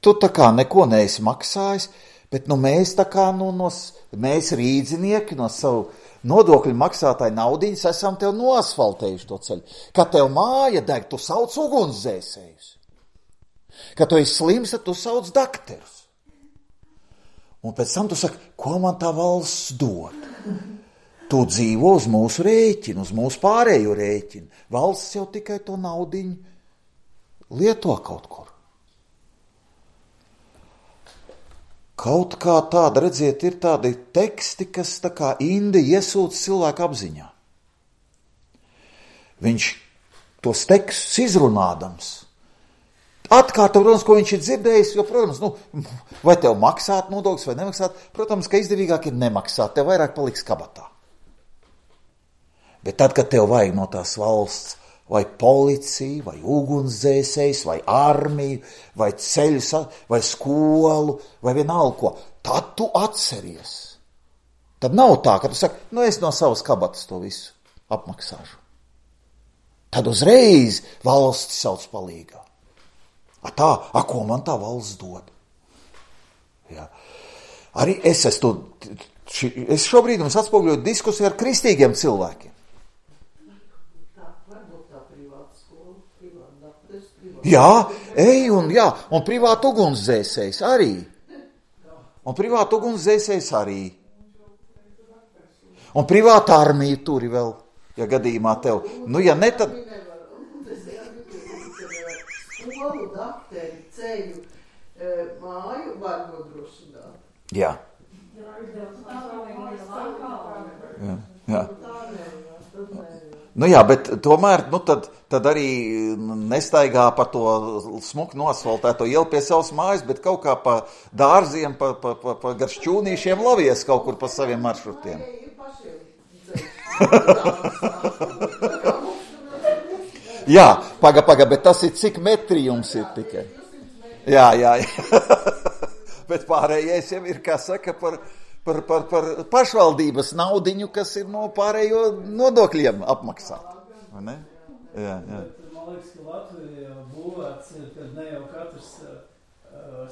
Tu tā kā neko neesi maksājis, bet mēs tā kā mēs rīdzinieki no savu nodokļu maksātāju naudiņas esam tev noasfaltējuši to ceļu. Kad tev māja deg, tu sauc ugunsdzēsējus. Kad tu esi slims, tad tu sauc dakterus. Un pēc tam tu saki, ko man tā valsts dod? Tu dzīvo uz mūsu rēķinu, uz mūsu pārējo rēķinu. Valsts jau tikai to naudiņu lieto kaut kur. Kaut kā tāda, redziet, ir tādi teksti, kas tā kā indi iesūc cilvēku apziņā. Viņš tos tekstus izrunādams atkārto, protams, ko viņš ir dzirdējis, jo, protams, vai tev maksāt nodokļus vai nemaksāt, protams, ka izdevīgāk ir nemaksāt, tev vairāk paliks kabatā. Bet tad, kad tev vajag no tās valsts vai policiju, vai ugunsdzēsējs, vai armiju, vai ceļus, vai skolu, vai vienalga ko, tad tu atceries. Tad nav tā, ka tu saki, es no savas kabatas to visu apmaksāšu. Tad uzreiz valsts sauc palīgā. Ko man tā valsts dod? Jā. Arī es šobrīd mums atspoguļoju diskusiju ar kristīgiem cilvēkiem. Jā, un privātu ugunsdzēsējs arī. Un privāta armija turi vēl, ja gadījumā tev. Ja ne, tad... Skolu, dakteri, ceļu, māju var nodrošināt. Jā. Nu jā, bet tomēr, tad arī nestaigā pa to smuku nosvaltēto ielu pie savas mājas, bet kaut kā pa dārziem, pa gar šķūnīšiem lavies kaut kur pa saviem maršrutiem. Jā, paga, bet tas ir cik metri jums ir tikai? Jā. Bet pārējais jau ir, kā saka, par pašvaldības naudiņu, kas ir no pārējo nodokļiem apmaksāt. Vai ne? Jā. Man liekas, ka Latvija būvēts ir, kad ne jau katrs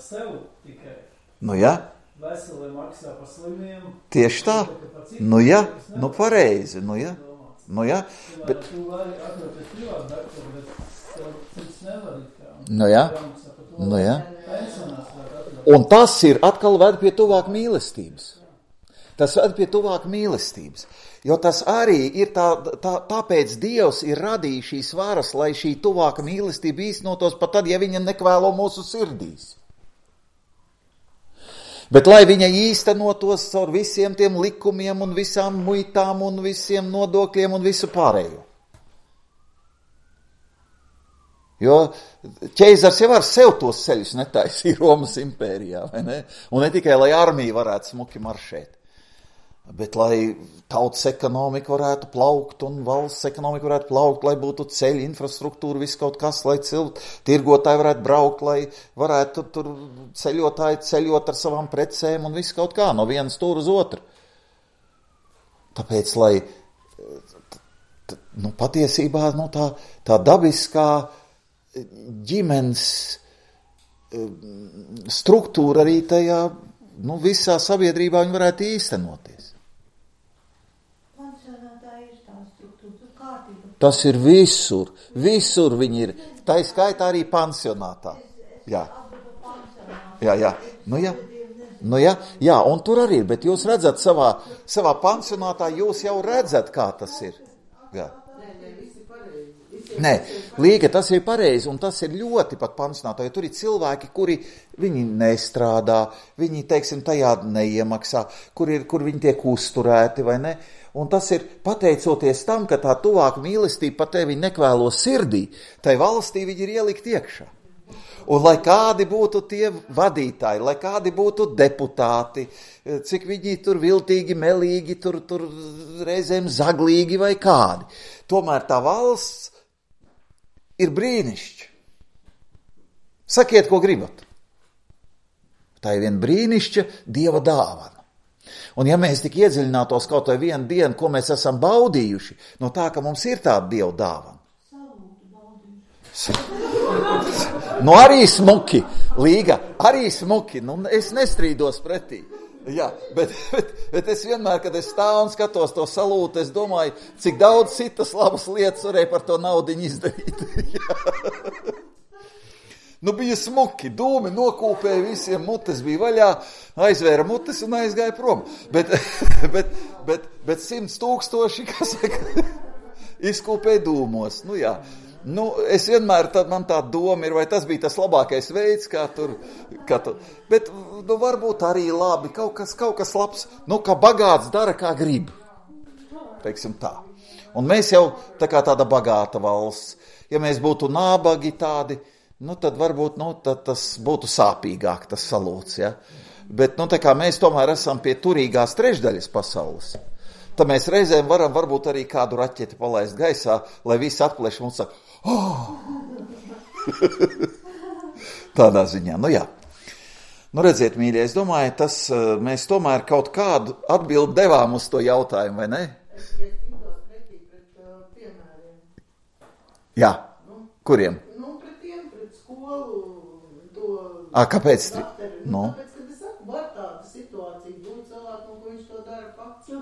sev tikai. Nu jā. Veselie maksā par slimiem. Tieši tā. Nu jā, nu pareizi, nu jā. Bet... Tu vari atroties privātu daktaru, bet tev cits nevar it kā. Nu jā. Un tas ir atkal ved pie tuvāk mīlestības. Jo tas arī ir tāpēc Dievs ir radījis šīs varas, lai šī tuvāka mīlestība īstenotos pat tad, ja viņa nekvēlo mūsu sirdīs. Bet lai viņa īstenotos caur visiem tiem likumiem un visām muitām un visiem nodokļiem un visu pārējo. Jo ķeizars jau ar sev tos ceļus netaisīja Romas impērijā, vai ne? Un ne tikai, lai armija varētu smuki maršēt, bet lai tautas ekonomika varētu plaukt un valsts ekonomika varētu plaukt, lai būtu ceļi, infrastruktūra, viss kaut kas, lai tirgotāji varētu braukt, lai varētu tur ceļotāji ceļot ar savām precēm un viss kaut kā, no vienas stūra uz otru. Tāpēc, lai patiesībā tā dabiskā ģimenes struktūra arī tajā visā sabiedrībā viņi varētu īstenoties. Pansionātā ir tā struktūra, tur kārtība. Tas ir visur viņi ir. Tā ir skaitā arī pansionātā. Jā. Jā, un tur arī ir, bet jūs redzat savā pansionātā, jūs jau redzat, kā tas ir. Jā. Nē, Līga, tas ir pareizi, un tas ir ļoti pat pansionātā, jo tur ir cilvēki, kuri viņi nestrādā, viņi, teiksim, tajā neiemaksā, kur viņi tiek uzturēti, vai ne? Un tas ir pateicoties tam, ka tā tuvāka mīlestība pat tevi nekvēlo sirdī, tai valstī viņi ir ielikt iekšā. Un lai kādi būtu tie vadītāji, lai kādi būtu deputāti, cik viņi tur viltīgi, melīgi, tur reizēm zaglīgi vai kādi. Tomēr tā valsts ir brīnišķi. Sakiet, ko gribat. Tā ir viena brīnišķa Dieva dāvana. Un ja mēs tik iedziļinātos kaut vai vienu dienu, ko mēs esam baudījuši, no tā, ka mums ir tāda Dieva dāvana. Arī smuki, Līga, arī smuki, es nestrīdos pretī. Jā, bet es vienmēr, kad es stāvu un skatos to salūtu, es domāju, cik daudz citas labas lietas varēja par to naudiņu izdarīt. Bija smuki, dūmi nokūpēja visiem, mutes bija vaļā, aizvēra mutes un aizgāja prom. Bet 100,000, kas saka, izkūpēja dūmos, jā. Es vienmēr, man tā doma ir, vai tas bija tas labākais veids, kā tur, bet, varbūt arī labi, kaut kas labs, kā bagāts dara, kā grib, teiksim tā. Un mēs jau tāda bagāta valsts, ja mēs būtu nabagi tādi, tad varbūt, tad tas būtu sāpīgāk, tas salūts, ja. Bet, tā kā mēs tomēr esam pie turīgās trešdaļas pasaules, tad mēs reizēm varam varbūt arī kādu raķeti palaist gaisā, lai visi atplēš un saka, tādā ziņā, jā. Redziet, mīļie, es domāju, mēs tomēr kaut kādu atbildi devām uz to jautājumu, vai ne? Es tīdos pretī pret piemēriem. Jā, kuriem? Pret skolu, to... Kāpēc? Tāpēc, kad es saku, var tāda situācija būt cilvēku, ko viņš to dara pats.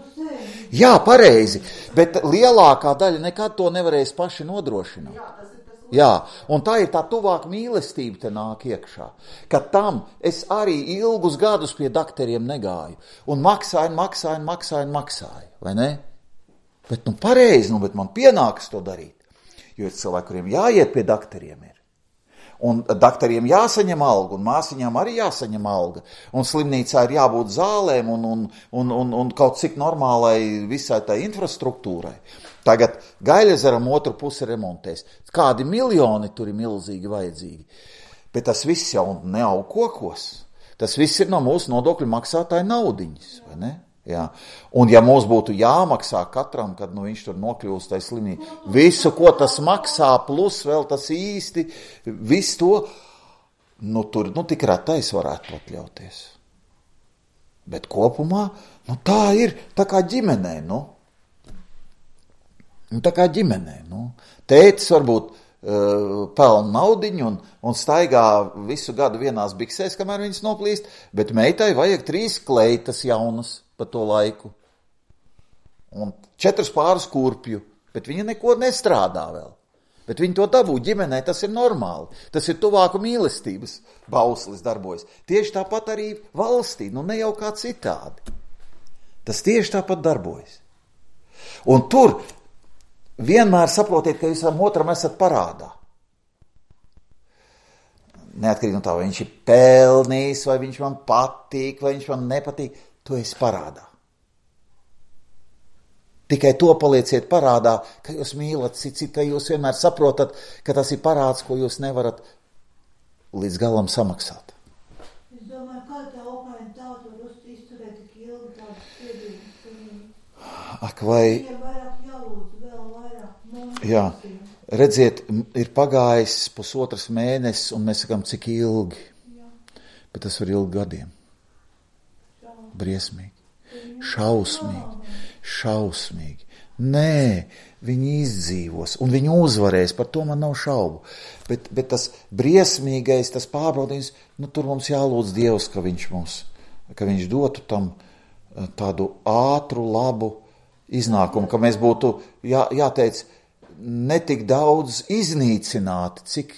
Jā, pareizi, bet lielākā daļa nekad to nevarēs paši nodrošināt. Jā, tas ir tas. Jā, un tā ir tā tuvāk mīlestība te nāk iekšā, ka tam es arī ilgus gadus pie dakteriem negāju, un maksāju, vai ne? Bet pareizi, bet man pienākas to darīt, jo ir cilvēki, kuriem jāiet pie dakteriem ir. un daktariem jāsaņem alga, un māsiņām arī jāsaņem alga, un slimnīcā ir jābūt zālēm un kaut cik normālai visai tai infrastruktūrai. Tagad Gaļezeram otru pusi remontēs. Kādi miljoni tur ir milzīgi vajadzīgi. Bet tas viss jau neaug kokos. Tas viss ir no mūsu nodokļu maksātāja naudiņas, vai ne? Jā. Un ja mums būtu jāmaksā katram, kad viņš tur nokļūst tai slimnīcā, visu, ko tas maksā, plus vēl tas īsti, visu to, tur tik retais varētu atļauties. Bet kopumā, tā ir, tā kā ģimenē, tā kā ģimenē, Tētis varbūt pelna naudiņu un staigā visu gadu vienās biksēs, kamēr viņas noplīst, bet meitai vajag 3 kleitas jaunas pa to laiku. Un 4 pāris kurpju, bet viņa neko nestrādā vēl. Bet viņi to dabū ģimenē, tas ir normāli. Tas ir tuvāku mīlestības bauslis darbojas. Tieši tāpat arī valstī, ne jau kā citādi. Tas tieši tāpat darbojas. Un tur vienmēr saprotiet, ka jūs otram esat parādā. Neatkarīgi no tā, vai viņš ir pelnījis, vai viņš man patīk, vai viņš man nepatīk, tu esi parādā. Tikai to palieciet parādā, ka jūs mīlat citu, ka jūs vienmēr saprotat, ka tas ir parāds, ko jūs nevarat līdz galam samaksāt. Es domāju, kā tā Ukraina tauta var izturēt tik ilgi tādu spiedību? Ak, vai... Viņiem vairāk jālūdz, vēl vairāk. Jā, redziet, ir pagājis 1,5 mēnesis, un mēs sakām, cik ilgi. Jā. Bet tas var ilgi gadiem. Briesmīgi. Šausmīgi. Nē, viņi izdzīvos, un viņi uzvarēs, par to man nav šaubu. Bet tas briesmīgais, tas pārbaudījums, tur mums jālūdz Dievs, ka viņš dotu tam tādu ātru, labu iznākumu, ka mēs būtu, jāteic, netik daudz iznīcināti, cik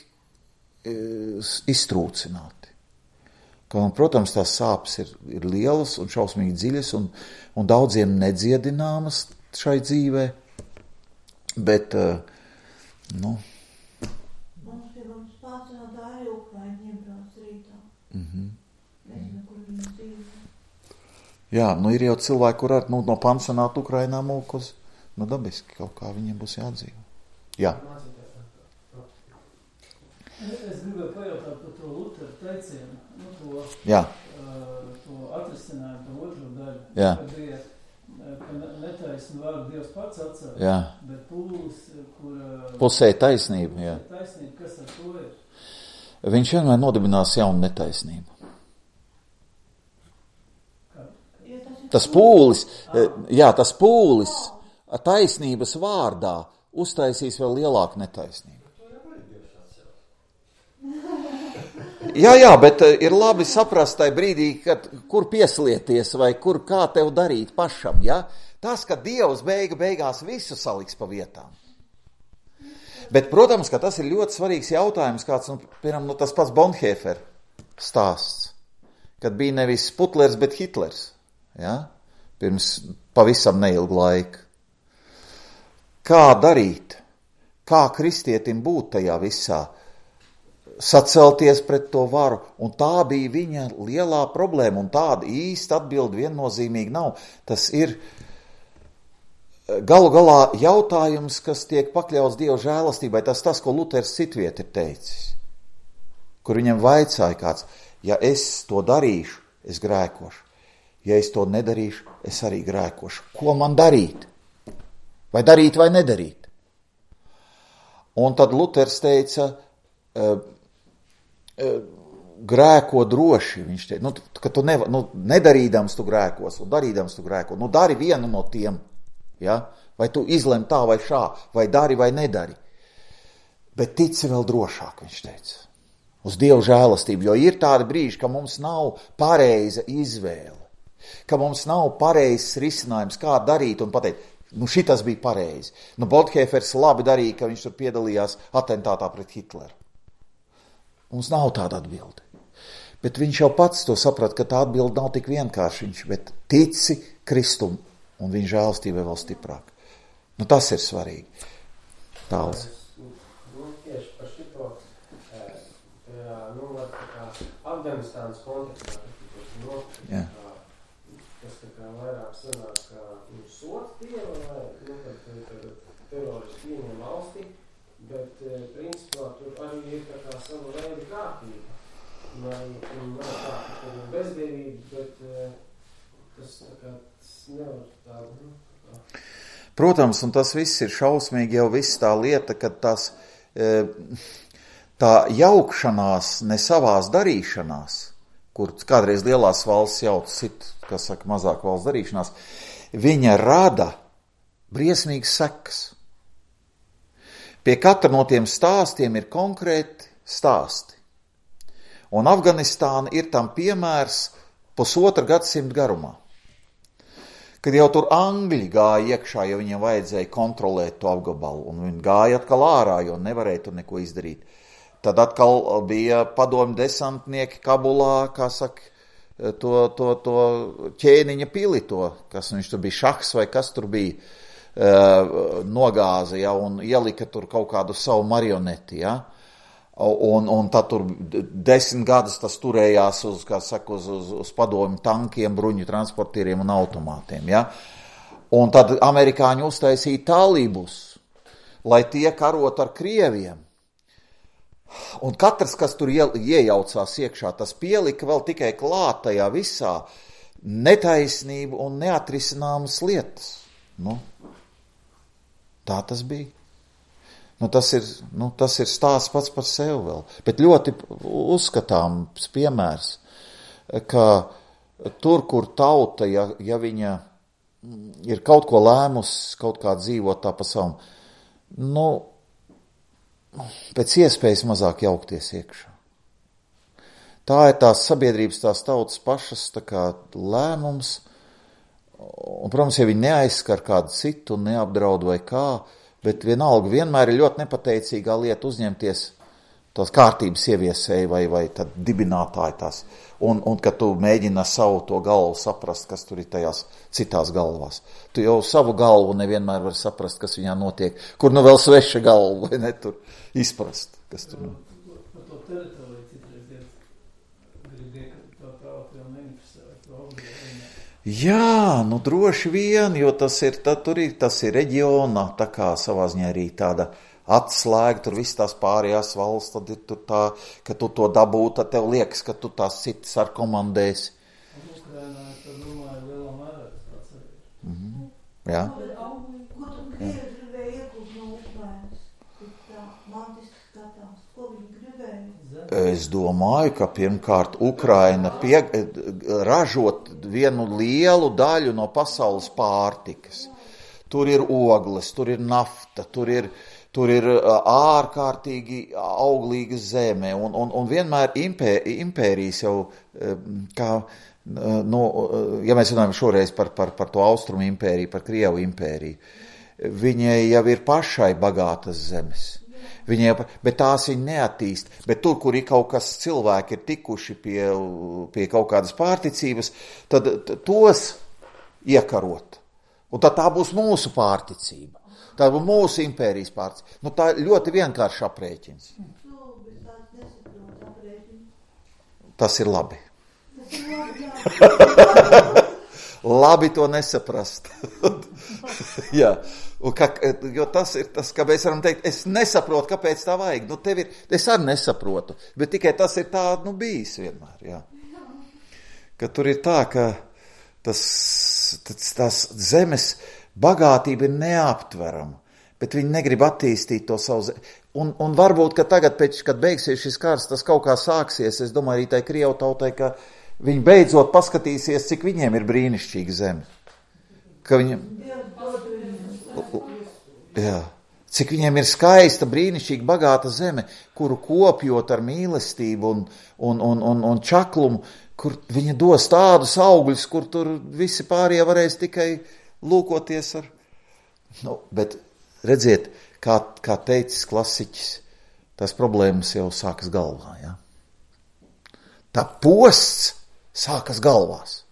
iztrūcināti. Protams, tās sāpes ir lielas un šausmīgi dziļas un daudziem nedziedināmas šai dzīvē, bet, Mums pārcenāt arī Ukraiņi iebrauc rītā. Nezinu, kur viņi dzīvo. Jā, ir jau cilvēki, kur ar no pansionāta Ukrainā mūkos, dabiski kaut kā viņiem būs jādzīvo. Jā. Es gribēju pajautāt par to Luteru teicienu, to atrisinājumu, to otru daļu, kad bija, ka netaisni vārdu Dievs pats atcēl, bet pūlis, kur... Pusēja taisnība, jā. Taisnība, kas ar to ir? Viņš vienmēr nodibinās jaunu netaisnību. Tas pūlis taisnības vārdā uztaisīs vēl lielāku netaisnību. Jā, bet ir labi saprast tai brīdī, kur pieslieties vai kā tev darīt pašam, ja? Tas, ka Dievs beigās visu saliks pa vietām. Bet, protams, ka tas ir ļoti svarīgs jautājums, kāds, piemēram, tas pats Bonhoeffer stāsts, kad bija nevis Putlers, bet Hitlers, ja? Pirms pavisam neilgu laiku. Kā darīt? Kā kristietim būt tajā visā? Sacelties pret to varu, un tā bija viņa lielā problēma, un tāda īsta atbilde viennozīmīgi nav. Tas ir galu galā jautājums, kas tiek pakļauts Dieva žēlastībai, tas, ko Luters citviet ir teicis, kur viņam vaicāja kāds, ja es to darīšu, es grēkošu, ja es to nedarīšu, es arī grēkošu. Ko man darīt? Vai darīt vai nedarīt? Un tad Luters teica, grēko droši, viņš teica, ka tu nedarīdams tu grēkos, un darīdams tu grēko, dari vienu no tiem, ja? Vai tu izlem tā vai šā, vai dari vai nedari, bet tici vēl drošāk, viņš teica, uz Dievu žēlastību, jo ir tādi brīži, ka mums nav pareiza izvēle, ka mums nav pareizs risinājums, kā darīt un pateikt, šitas bija pareizi. Bonhoeffers labi darīja, ka viņš tur piedalījās atentātā pret Hitleru. Mums nav tāda atbilde. Bet viņš jau pats to saprata, ka tā atbilde nav tik vienkārši, bet tici Kristum un viņa žēlastībai vēl stiprāk. Tas ir svarīgi. Tāls. Tieši par šito Afganistānas kontekstā, kas tā kā vairāk sanāk kā sots Dieva, vai, kad teroristi ieņem valstī, bet principā tur arī ir tā kā sava veida kārtība. Un nav tā, ka tur ir bezdievība, bet tas tā kā nevar tā. Protams, un tas viss ir šausmīgi jau viss tā lieta, ka tā jaukšanās ne savās darīšanās, kur kādreiz lielās valsts jauc sit, kas saka, mazāk valsts darīšanās, viņa rada briesmīgas sekas. Pie katra no tiem stāstiem ir konkrēti stāsti. Un Afganistāna ir tam piemērs 1,5 gadsimta garumā. Kad jau tur Angļi gāja iekšā, jo viņiem vajadzēja kontrolēt to apgabalu, un viņi gāja atkal ārā, jo nevarēja tur neko izdarīt. Tad atkal bija padomju desantnieki Kabulā, kā saka, to ķēniņa pili, kas viņš tur bija, šahs vai kas tur bija, nogāza, ja, un ielika tur kaut kādu savu marioneti, ja. Un tad tur 10 gadus tas turējās uz, kā saka, uz padomju tankiem, bruņu transportieriem un automātiem, ja. Un tad amerikāņi uztaisīja talibus, lai tie karot ar Krieviem. Un katrs, kas tur iejaucās iekšā, tas pielika vēl tikai klāt tajā visā netaisnību un neatrisināmas lietas. Tā tas bija. Tas ir stāsts pats par sevi vēl, bet ļoti uzskatāms piemērs, ka tur, kur tauta, ja viņa ir kaut ko lēmusi, kaut kā dzīvot tā pa savam, pēc iespējas mazāk jaukties iekšā. Tā ir tās sabiedrības, tās tautas pašas tā kā lēmums, un, protams, ja viņi neaizskar kādu citu un neapdraud vai kā, bet vienalga vienmēr ir ļoti nepateicīgā lieta uzņemties tās kārtības ieviesēji vai tad dibinātāji tās. Un kad tu mēģini savu to galvu saprast, kas tur ir tajās citās galvās. Tu jau savu galvu nevienmēr var saprast, kas viņā notiek. Kur vēl sveša galva, vai ne tur izprast, kas tur Par to teritoriju citreiz gribēja, ka tā tauta jau neinteresē vai to obligāti. Jā, droši vien, jo tas ir reģiona, tā kā savā ziņā arī tāda atslēga, tur viss tās pārējās valsts, tad ir tur tā, ka tu to dabūtu, tad tev liekas, ka tu tās citas ar komandēsi. Ukrainā, tad domāju, lielā mērā tas pats arī. Jā. Ko tu Krievi gribēja iegūt no Ukrainas? Tā mantiski skatās, ko viņi gribēja? Es domāju, ka pirmkārt Ukraina ražot vienu lielu daļu no pasaules pārtikas. Tur ir ogles, tur ir nafta, tur ir ārkārtīgi auglīga zeme, un vienmēr impērijas jau, kā, ja mēs runājam šoreiz par to Austrumu impēriju, par Krievu impēriju, viņai jau ir pašai bagātas zemes. Bet tās viņi neattīst. Bet tur, kur ir kaut kas cilvēki ir tikuši pie kaut kādas pārticības, tad tos iekarot. Un tad tā būs mūsu pārticība. Tā būs mūsu impērijas pārticība. Tā ir ļoti vienkārši aprēķins. Tas ir labi. Labi to nesaprast. Jā. Jo tas ir tas, ka mēs varam teikt, es nesaprotu, kāpēc tā vajag. Es arī nesaprotu, bet tikai tas ir tā, bijis vienmēr. Jā. Ka tur ir tā, ka tās zemes bagātība ir neaptverama, bet viņi negrib attīstīt to savu zemi. Un varbūt, ka tagad, kad beigsies šis kārs, tas kaut kā sāksies, es domāju arī tai Krievu tautai, ka viņi beidzot paskatīsies, cik viņiem ir brīnišķīga zeme. Ka viņiem... Jā, cik viņiem ir skaista, brīnišķīga, bagāta zeme, kuru kopjot ar mīlestību un čaklumu, kur viņa dos tādus augļus, kur tur visi pārējie varēs tikai lūkoties ar. Bet redziet, kā teicis klasiķis, tās problēmas jau sākas galvā. Ja? Tā posts sākas galvās.